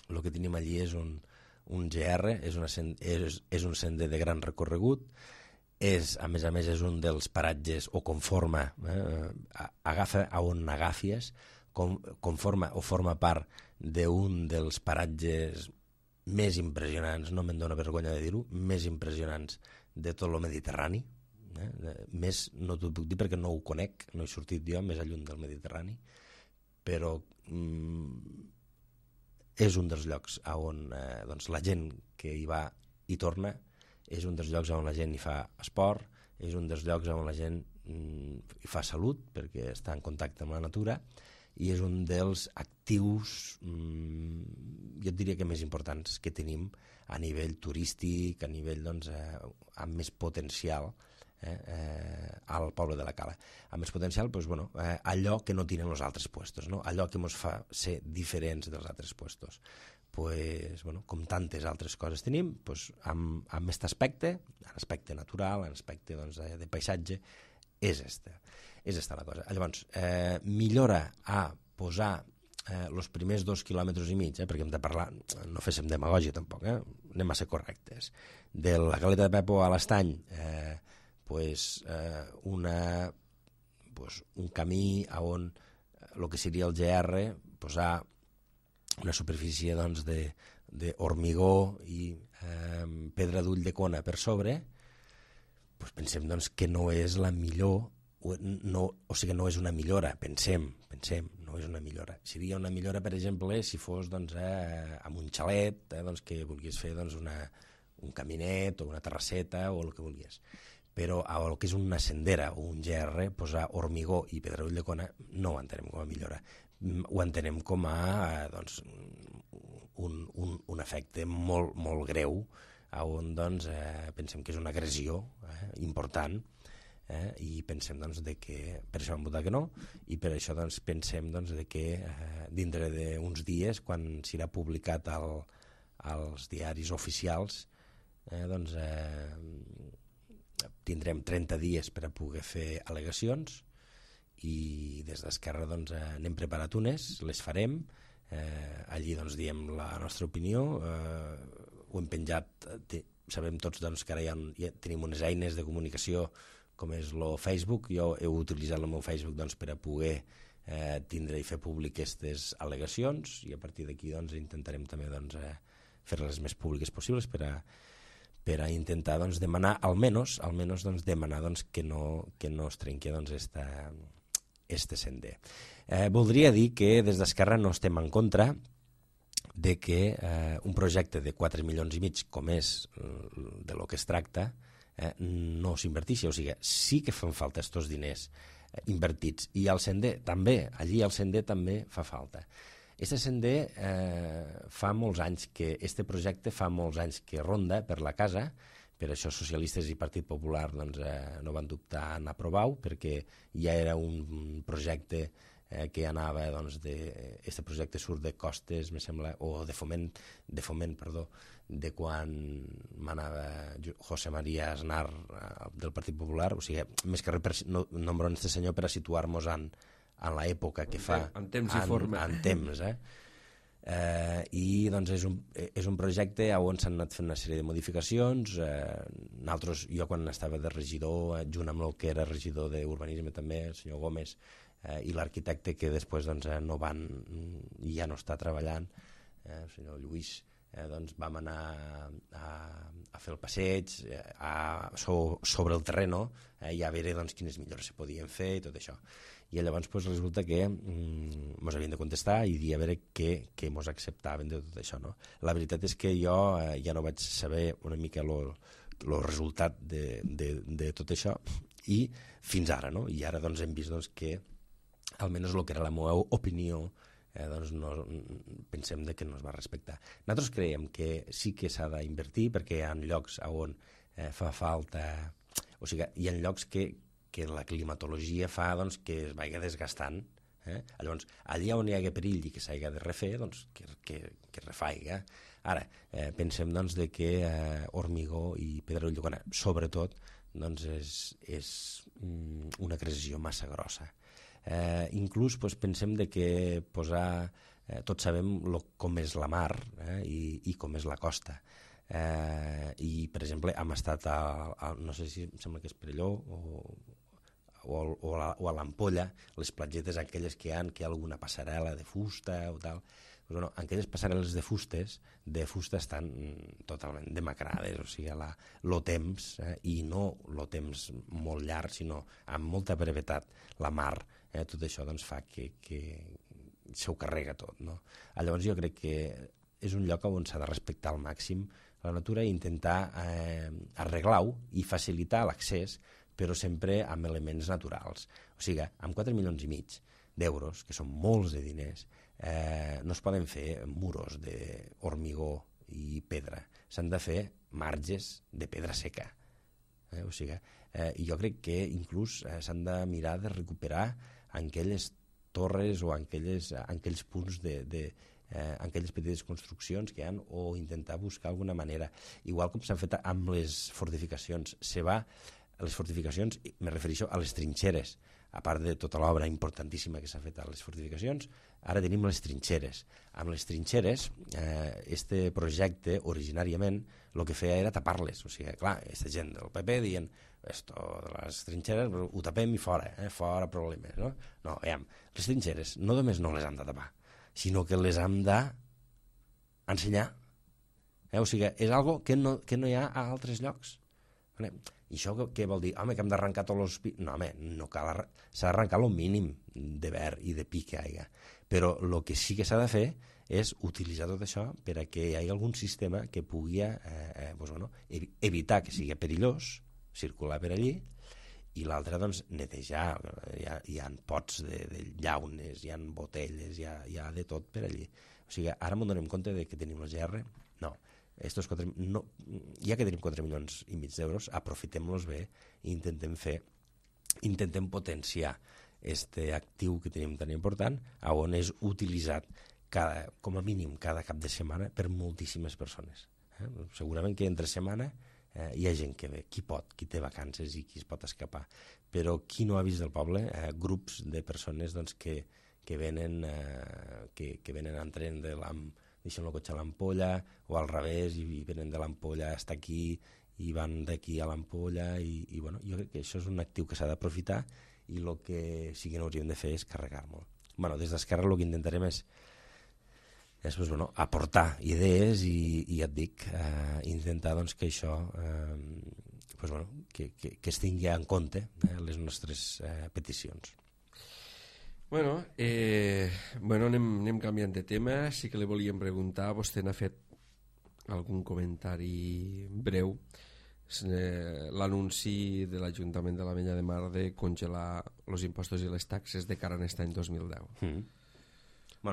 Speaker 4: el que tenim allí és un GR, és un sender de gran recorregut, a més a més és un dels paratges o conforma, agafa a on agafies, conforma o forma part d'un dels paratges més impressionants, no me'n dóna vergonya de dir-ho, més impressionants de tot el Mediterrani. Més no t'ho puc dir perquè no ho conec, no he sortit jo més lluny del Mediterrani, però és un dels llocs on la gent que hi va i torna, és un dels llocs on la gent hi fa esport, és un dels llocs on la gent hi fa salut perquè està en contacte amb la natura i és un dels actius, jo et diria que més importants que tenim a nivell turístic, a nivell amb més potencial al poble de la Cala. Amb més potencial, allò que no tenen els altres puestos, no? Allò que ens fa ser diferents dels altres puestos. Com tantes altres coses tenim, amb aquest aspecte, l'aspecte natural, l'aspecte de paisatge, és esta la cosa. Llavors, millora a posar els primers 2,5 quilòmetres, perquè hem de parlar, no féssim demagògia tampoc, anem a ser correctes. De la Caleta de Pepo a l'Estany, un camí on el que seria el GR, posar una superfície d'hormigó i pedra d'ull de cona per sobre, pensem que no és la millor, no és una millora, pensem, no és una millora. Seria una millora, per exemple, si fos amb un xalet, que vulguis fer un caminet o una terrasseta o el que vulguis. Però el que és una sendera o un GR, posar hormigó i pedra d'ull de cona, no ho entenem com a millora. Ho entenem com a un efecte molt, molt greu, on pensem que és una agressió important, i pensem que per això vam votar que no, i per això pensem que dintre d'uns dies, quan serà publicat als diaris oficials, tindrem 30 dies per a poder fer al·legacions, i des d'Esquerra n'hem preparat unes, les farem, allí diem la nostra opinió, ho hem penjat, sabem tots que ara ja tenim unes eines de comunicació com és el Facebook. Jo he utilitzat el meu Facebook per a poder tindre i fer públic aquestes al·legacions, i a partir d'aquí intentarem també fer-les més públiques possibles per a intentar demanar, almenys demanar que no es trenqui este sender. Voldria dir que des d'Esquerra no estem en contra de que un projecte de 4,5 milions, com és de lo que es tracta, no s'inverteixi. O sigui, sí que fan falta aquests diners invertits. I al sender també, allí al sender també fa falta. Este sender fa molts anys que, este projecte fa molts anys que ronda per la casa. Per això socialistes i Partit Popular no van dubtar en aprovar-ho, perquè ja era un projecte que anava, este projecte surt de Costes, me sembla, o de foment, de quan manava José María Aznar del Partit Popular. O sigui, més que res nombren este senyor per a situar-nos en l'època que fa,
Speaker 3: en temps i forma.
Speaker 4: En temps, i és un projecte on s'han anat fent una sèrie de modificacions. Jo quan estava de regidor, junt amb el que era regidor d'urbanisme també, el senyor Gómez, i l'arquitecte que després no van i ja no està treballant, el senyor Lluís, vam anar a fer el passeig sobre el terreno, i a veure quines millores se podien fer i tot això. I llavors resulta que ens havien de contestar i dir a veure què ens acceptaven de tot això. La veritat és que jo ja no vaig saber una mica el resultat de tot això, i fins ara, i ara hem vist que almenys el que era la meva opinió pensem que no es va respectar. Nosaltres creiem que sí que s'ha d'invertir, perquè hi ha llocs on fa falta, o sigui, hi ha llocs que la climatologia fa que es vagi desgastant. Llavors, allà on hi hagi perill i que s'hagi de refer, que refaiga. Ara, pensem que hormigó i pedra d'ull de cona, sobretot, és una agressió massa grossa. Inclús pensem que posar, tots sabem com és la mar i com és la costa. I, per exemple, hem estat no sé si em sembla que és Perelló o a l'Ampolla, les platgetes aquelles que hi ha alguna passarel·la de fusta o tal. Aquelles passarel·les de fusta estan totalment demacrades, o sigui, el temps, i no el temps molt llarg, sinó amb molta brevetat, la mar, tot això fa que s'ho carrega tot. Llavors jo crec que és un lloc on s'ha de respectar al màxim la natura i intentar arreglar-ho i facilitar l'accés, però sempre amb elements naturals. O sigui, amb 4,5 milions d'euros, que són molts de diners, no es poden fer muros de hormigó i pedra, s'han de fer marges de pedra seca. O sigui, jo crec que inclús s'han de mirar de recuperar aquelles torres o aquells punts aquelles petites construccions que hi ha, o intentar buscar alguna manera, igual com s'han fet amb les fortificacions. Les fortificacions, me refereixo a les trinxeres, a part de tota l'obra importantíssima que s'ha fet a les fortificacions, ara tenim les trinxeres. Amb les trinxeres, este projecte originàriament el que feia era tapar-les. O sigui, clar, aquesta gent del PP dient esto de les trinxeres ho tapem i fora, fora problemes. No, les trinxeres no només no les hem de tapar, sinó que les hem d'ensenyar. O sigui, és algo que no hi ha a altres llocs. I això què vol dir? Home, que hem d'arrencar tots els... No, home, no cal... S'ha d'arrencar el mínim de verd i de pi que hi ha. Però el que sí que s'ha de fer és utilitzar tot això per a que hi hagi algun sistema que pugui evitar que sigui perillós circular per allí, i l'altre, doncs, netejar. Hi ha pots de llaunes, hi ha botelles, hi ha de tot per allí. O sigui, ara m'ho donem compte de que tenim la GR? No. Ja que tenim 4,5 milions d'euros, aprofitem-los bé i intentem potenciar este actiu que tenim tan important, on és utilitzat com a mínim cada cap de setmana per moltíssimes persones. Segurament que entre setmana hi ha gent que ve, qui té vacances i qui es pot escapar, però qui no ha vist el poble, grups de persones que venen en tren deixen el cotxe a l'Ampolla, o al revés, i venen de l'Ampolla fins aquí, i van d'aquí a l'Ampolla, i jo crec que això és un actiu que s'ha d'aprofitar, i el que sí que no hauríem de fer és carregar-lo. Des d'Esquerra el que intentarem és aportar idees i ja et dic, intentar que això que es tingui en compte les nostres peticions.
Speaker 3: Anem canviant de tema. Sí que li volíem preguntar, vostè n'ha fet algun comentari breu, l'anunci de l'Ajuntament de l'Ametlla de Mar de congelar els impostos i les taxes de cara a aquest any 2010.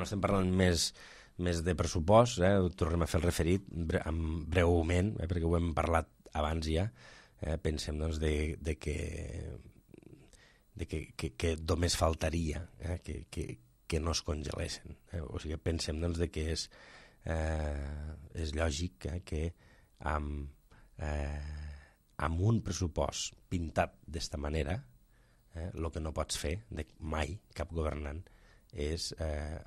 Speaker 4: Estem parlant més de pressupost, tornem a fer el referit breument, perquè ho hem parlat abans ja. Pensem que només faltaria que no es congelessin. O sigui, pensem que és lògic que amb un pressupost pintat d'esta manera, el que no pots fer mai, cap governant, és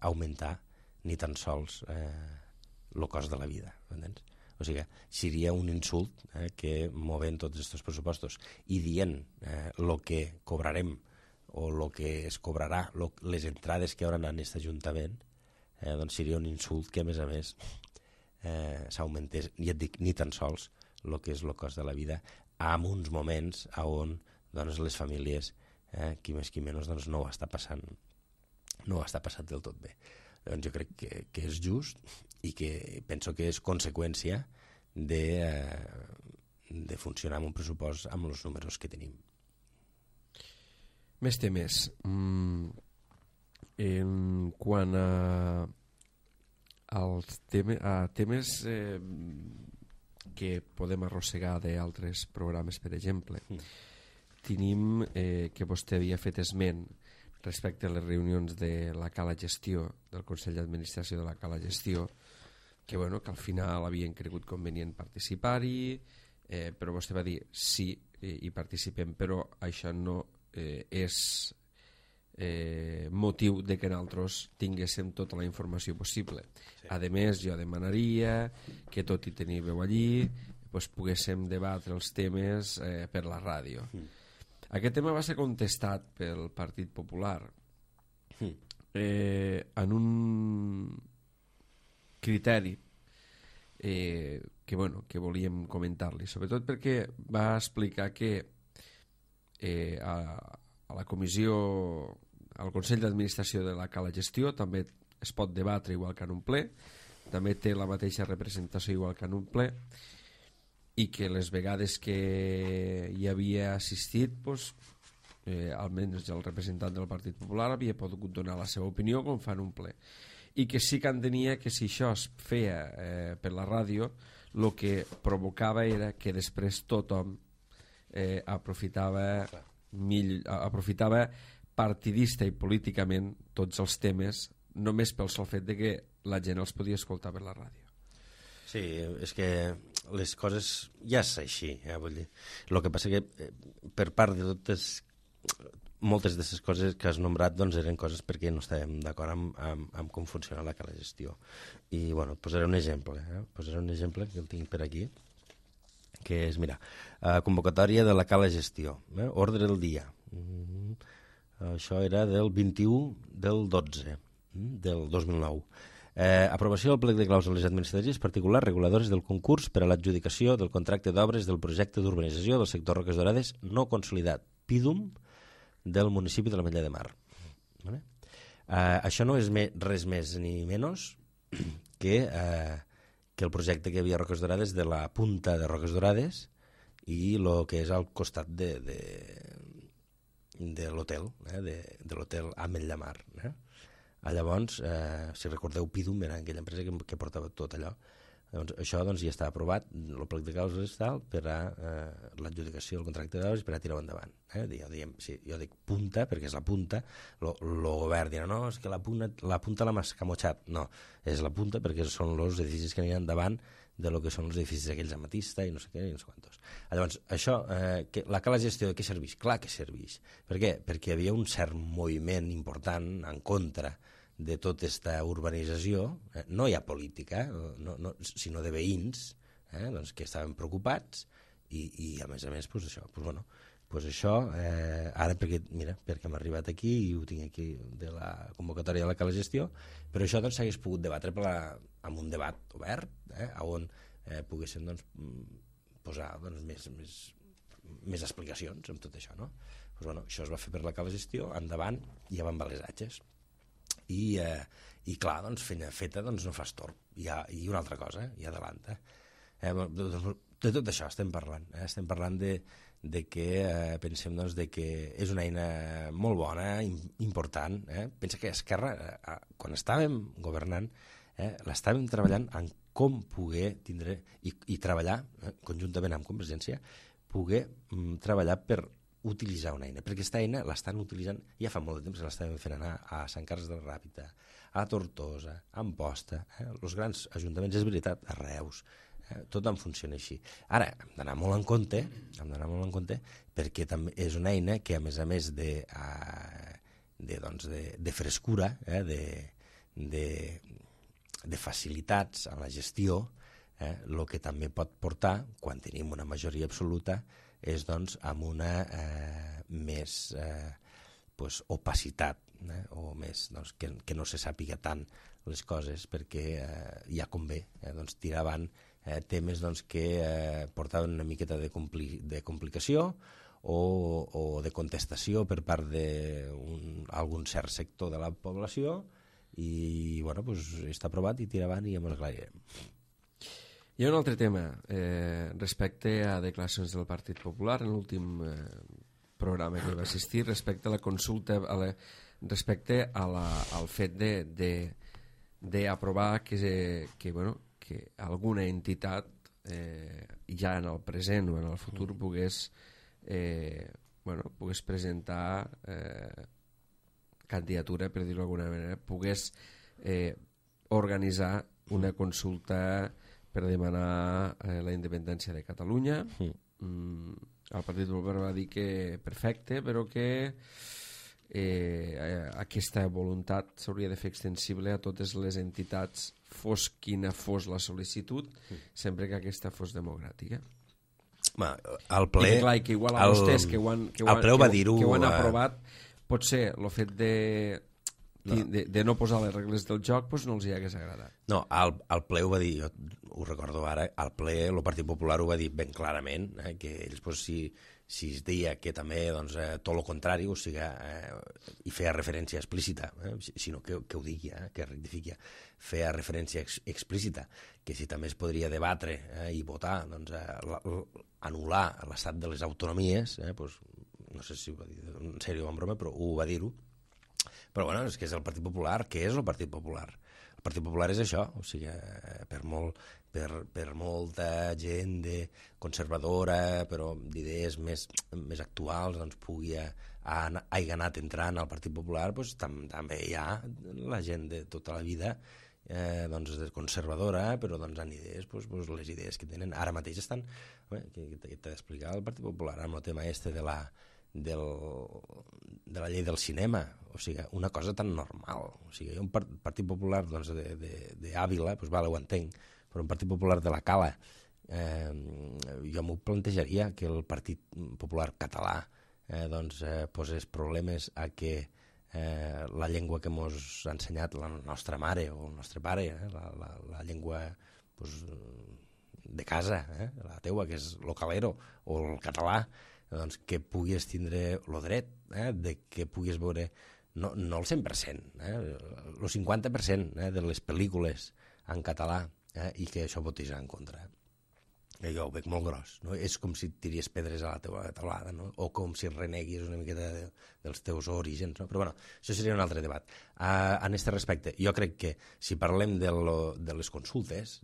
Speaker 4: augmentar ni tan sols el cost de la vida, entens? O sigui, seria un insult que movent tots aquests pressupostos i dient el que cobrarem o el que es cobrarà, les entrades que hi haurà en aquest Ajuntament, doncs seria un insult que, a més, s'augmentés, ja et dic, ni tan sols el que és el cost de la vida, en uns moments on les famílies, qui més qui menys, no ho està passant del tot bé. Doncs jo crec que és just i que penso que és conseqüència de funcionar amb un pressupost amb els números que tenim.
Speaker 3: Més temes. En quant a temes que podem arrossegar d'altres programes, per exemple, tenim que vostè havia fet esment respecte a les reunions de la Cala Gestió, del Consell d'Administració de la Cala Gestió, que al final havien cregut convenient participar-hi, però vostè va dir sí, hi participem, però això no és motiu de que nosaltres tinguéssim tota la informació possible. A més, jo demanaria que, tot i tenir veu allí, poguéssim debatre els temes per la ràdio. Aquest tema va ser contestat pel Partit Popular en un criteri que volíem comentar-li, sobretot perquè va explicar que a la comissió, al Consell d'Administració de la Cala Gestió també es pot debatre igual que en un ple, també té la mateixa representació igual que en un ple, i que les vegades que hi havia assistit almenys el representant del Partit Popular havia pogut donar la seva opinió com fan un ple, i que sí que entenia que si això es feia per la ràdio, el que provocava era que després tothom aprofitava partidista i políticament tots els temes, només pel sol fet de que la gent els podia escoltar per la ràdio.
Speaker 4: Sí, és que les coses ja és així, vull dir. El que passa que per part de totes, moltes d'aquestes coses que has nombrat doncs eren coses perquè no estàvem d'acord amb com funciona la cala gestió. I, bueno, posaré un exemple, posaré un exemple que el tinc per aquí, que és, mira, convocatòria de la cala gestió, ordre del dia. Això era del 21 del 12 del 2009. Aprovació del plec de clàusules administratives particulars reguladores del concurs per a l'adjudicació del contracte d'obres del projecte d'urbanització del sector Roques Dorades no consolidat, PIDUM, del municipi de l'Ametlla de Mar. Vale? Això no és res més ni menys que el projecte que hi havia a Roques Dorades de la punta de Roques Dorades i el que és al costat de l'hotel, de l'hotel Ametlla de Mar. Llavors, si recordeu, PIDUM era aquella empresa que portava tot allò. Llavors, això ja està aprovat, el plec de clàusules per a l'adjudicació del contracte d'obres per a tirar-ho endavant. Jo dic punta perquè és la punta, el govern dirà no, és que la punta l'ha escamotxat. No, és la punta perquè són els edificis que aniran davant de lo que són els edificis aquells Amatista i no sé què i no sé quantos. Llavors, això, la cala gestió de què serveix? Clar que serveix. Per què? Perquè hi havia un cert moviment important en contra de tota aquesta urbanització, no hi ha política, sinó de veïns que estaven preocupats i a més, això, ara perquè hem arribat aquí i ho tinc aquí de la convocatòria de la cala gestió, però això s'hagués pogut debatre amb un debat obert, on poguessin posar més explicacions amb tot això. Això es va fer per la cala gestió, endavant, i ja van les atxes. I clar, feta no fas torb. I una altra cosa, i adelanta. De tot això estem parlant. Estem parlant de que pensem de que és una eina molt bona, important. Pensa que Esquerra, quan estàvem governant, l'estàvem treballant en com poder tindre i treballar, conjuntament amb Convergència, poder treballar per utilitzar una eina, perquè aquesta eina l'estan utilitzant ja fa molt de temps, que l'estàvem fent anar a Sant Carles de la Ràpita, a Tortosa, a Amposta, els grans ajuntaments, és veritat, a Reus, tot en funciona així. Ara, hem d'anar molt en compte, perquè també és una eina que, a més de frescura, de facilitats a la gestió, el que també pot portar, quan tenim una majoria absoluta, és amb una més opacitat, o més que no se sàpiga tant les coses, perquè ja convé tirar avant temes que portaven una miqueta de complicació o de contestació per part d'algun cert sector de la població i està aprovat i tira avant i ja ens aclarirem.
Speaker 3: Hi ha un altre tema respecte a declaracions del Partit Popular en l'últim programa que va assistir respecte a la consulta, respecte al fet d'aprovar que alguna entitat ja en el present o en el futur pogués presentar candidatura, per dir-ho d'alguna manera, pogués organitzar una consulta per demanar la independència de Catalunya. El Partit Popular va dir que perfecte, però que aquesta voluntat s'hauria de fer extensible a totes les entitats, fos quina fos la sol·licitud, sempre que aquesta fos democràtica.
Speaker 4: El ple...
Speaker 3: I clar, que igual a vostès que ho han aprovat, potser el fet de no posar les regles del joc no els hi hagués agradat.
Speaker 4: No, el ple ho va dir, jo ho recordo ara, el ple, el Partit Popular ho va dir ben clarament, que ells si es deia que també tot el contrari, o sigui, i feia referència explícita, sinó que ho digui, que rectifiqui, feia referència explícita, que si també es podria debatre i votar, anul·lar l'estat de les autonomies, no sé si ho va dir en sèrio o en broma, però ho va dir-ho. Però bueno, és que és el Partit Popular. Què és el Partit Popular? El Partit Popular és això, o sigui, per molta gent conservadora, però d'idees més actuals, doncs hagi anat entrant al Partit Popular, doncs també hi ha la gent de tota la vida doncs conservadora, però doncs en idees, doncs les idees que tenen ara mateix estan, que t'he d'explicar el Partit Popular amb el tema de la llei del cinema, o sigui, una cosa tan normal, o sigui, un Partit Popular doncs, d'Àvila, doncs vale, ho entenc, però un Partit Popular de la Cala, jo m'ho plantejaria que el Partit Popular català posés problemes a que la llengua que mos ha ensenyat la nostra mare o el nostre pare, la llengua de casa, la teua, que és el calero o el català, doncs que puguis tindre el dret de que puguis veure no el 100%, el 50% de les pel·lícules en català i que això votis en contra. Jo ho veig molt gros, no? És com si tiries pedres a la teva taulada, no? O com si reneguis una miqueta dels teus orígens, no? Però bueno, això seria un altre debat. En aquest respecte, jo crec que si parlem de les consultes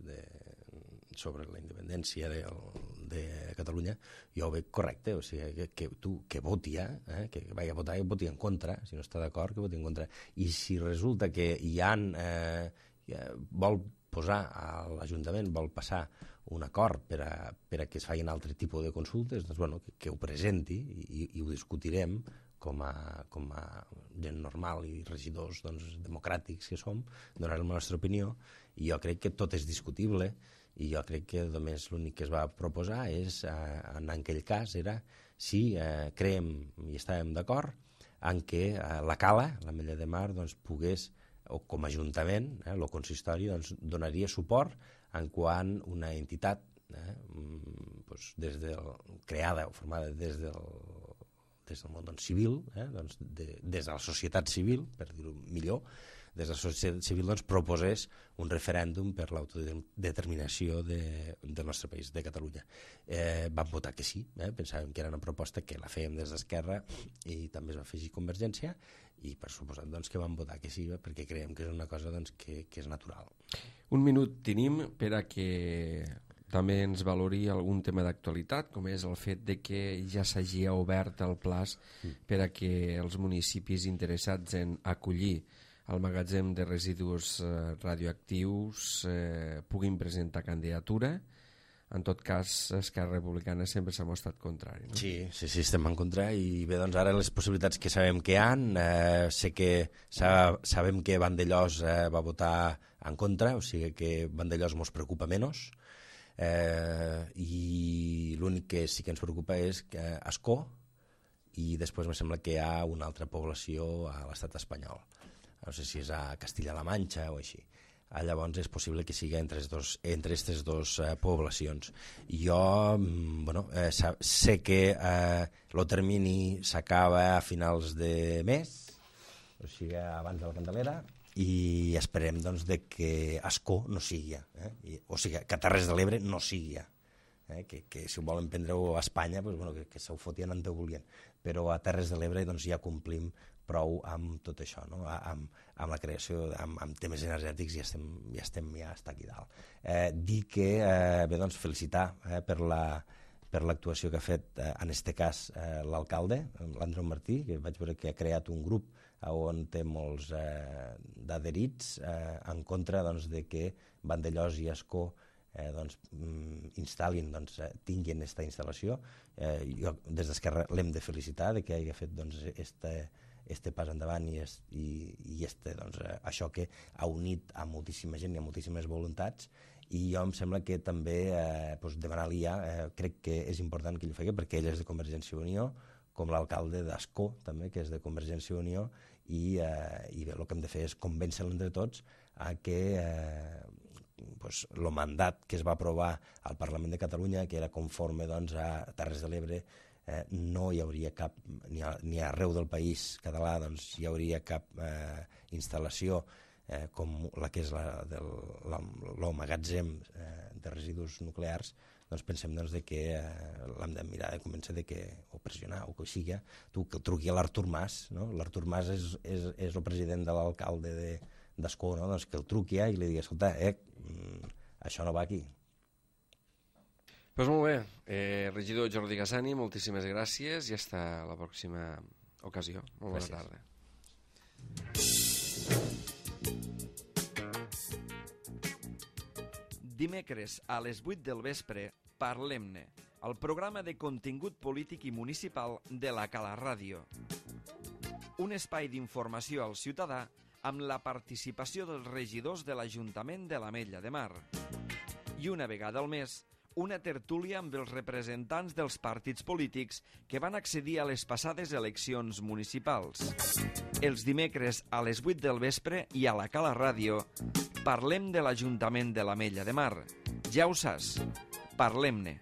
Speaker 4: sobre la independència de Catalunya, jo ho veig correcte, o sigui, que voti, que vagi a votar, que voti en contra, si no està d'acord, que voti en contra. I si resulta que vol posar a l'Ajuntament, vol passar un acord per a que es facin altre tipus de consultes, doncs bueno, que ho presenti i ho discutirem com a gent normal i regidors democràtics que som, donarem la nostra opinió, i jo crec que tot és discutible, i jo crec que només l'únic que es va proposar és, en aquell cas, era si creiem i estàvem d'acord en que la Cala, l'Ametlla de Mar, pogués, o com a Ajuntament, el consistori donaria suport en quan una entitat creada o formada des del món civil, des de la societat civil, per dir-ho millor, des de la societat civil proposés un referèndum per l'autodeterminació del nostre país, de Catalunya. Vam votar que sí, pensàvem que era una proposta que la fèiem des d'Esquerra i també es va afegir Convergència, i per suposat que vam votar que sí, perquè creiem que és una cosa que és natural.
Speaker 3: Un minut tenim per a que també ens valori algun tema d'actualitat, com és el fet de que ja s'hagi obert el plaç per a que els municipis interessats en acollir el magatzem de residus radioactius puguin presentar candidatura. En tot cas, Esquerra Republicana sempre s'ha mostrat contrari. No?
Speaker 4: Sí, estem en contra, i bé, doncs ara les possibilitats que sabem que hi ha, sabem que Vandellós va votar en contra, o sigui que Vandellós mos preocupa menys, i l'únic que sí que ens preocupa és Ascó, i després em sembla que hi ha una altra població a l'estat espanyol. No sé si és a Castilla-La Manxa o així. Llavors és possible que sigui entre aquestes dues poblacions. Jo sé que el termini s'acaba a finals de mes, o sigui abans de la Candelera, i esperem de que Ascó no sigui, o sigui que Terres de l'Ebre no sigui, que si ho volen prendre-ho a Espanya que se ho fotien on ho volien, però a Terres de l'Ebre ja complim prou amb tot això, no? amb la creació, amb temes energètics ja està aquí dalt. Dir que, felicitar per l'actuació que ha fet en aquest cas l'alcalde, l'Andreu Martí, que vaig veure que ha creat un grup on té molts d'adherits en contra de que Vandellós i Ascó instal·lin, tinguin aquesta instal·lació. Jo des d'Esquerra l'hem de felicitar que hagi fet este pas endavant i això que ha unit a moltíssima gent i a moltíssimes voluntats, i jo em sembla que també demanar-li crec que és important que ell ho faci, perquè ell és de Convergència i Unió, com l'alcalde d'Ascó també, que és de Convergència i Unió, i bé, el que hem de fer és convèncer-lo entre tots a que el mandat que es va aprovar al Parlament de Catalunya, que era conforme a Terres de l'Ebre, no hi hauria cap, ni arreu del país català hi hauria cap instal·lació com la que és el magatzem de residus nuclears, doncs pensem de que l'hem de mirar de convèncer de que, o pressionar, o que sigui, que truqui a l'Artur Mas, no? L'Artur Mas és el president de l'alcalde d'Ascó, no? Doncs que el truqui i li digui, escolta, això no va aquí.
Speaker 3: Doncs molt bé, regidor Jordi Gassani, moltíssimes gràcies i fins a la pròxima ocasió. Molt bona tarda.
Speaker 2: Dimecres a les 8 del vespre, Parlem-ne, el programa de contingut polític i municipal de la Cala Ràdio. Un espai d'informació al ciutadà amb la participació dels regidors de l'Ajuntament de l'Ametlla de Mar. I una vegada al mes, una tertúlia amb els representants dels partits polítics que van accedir a les passades eleccions municipals. Els dimecres a les 8 del vespre i a la Cala Ràdio parlem de l'Ajuntament de l'Ametlla de Mar. Ja ho saps, parlem-ne.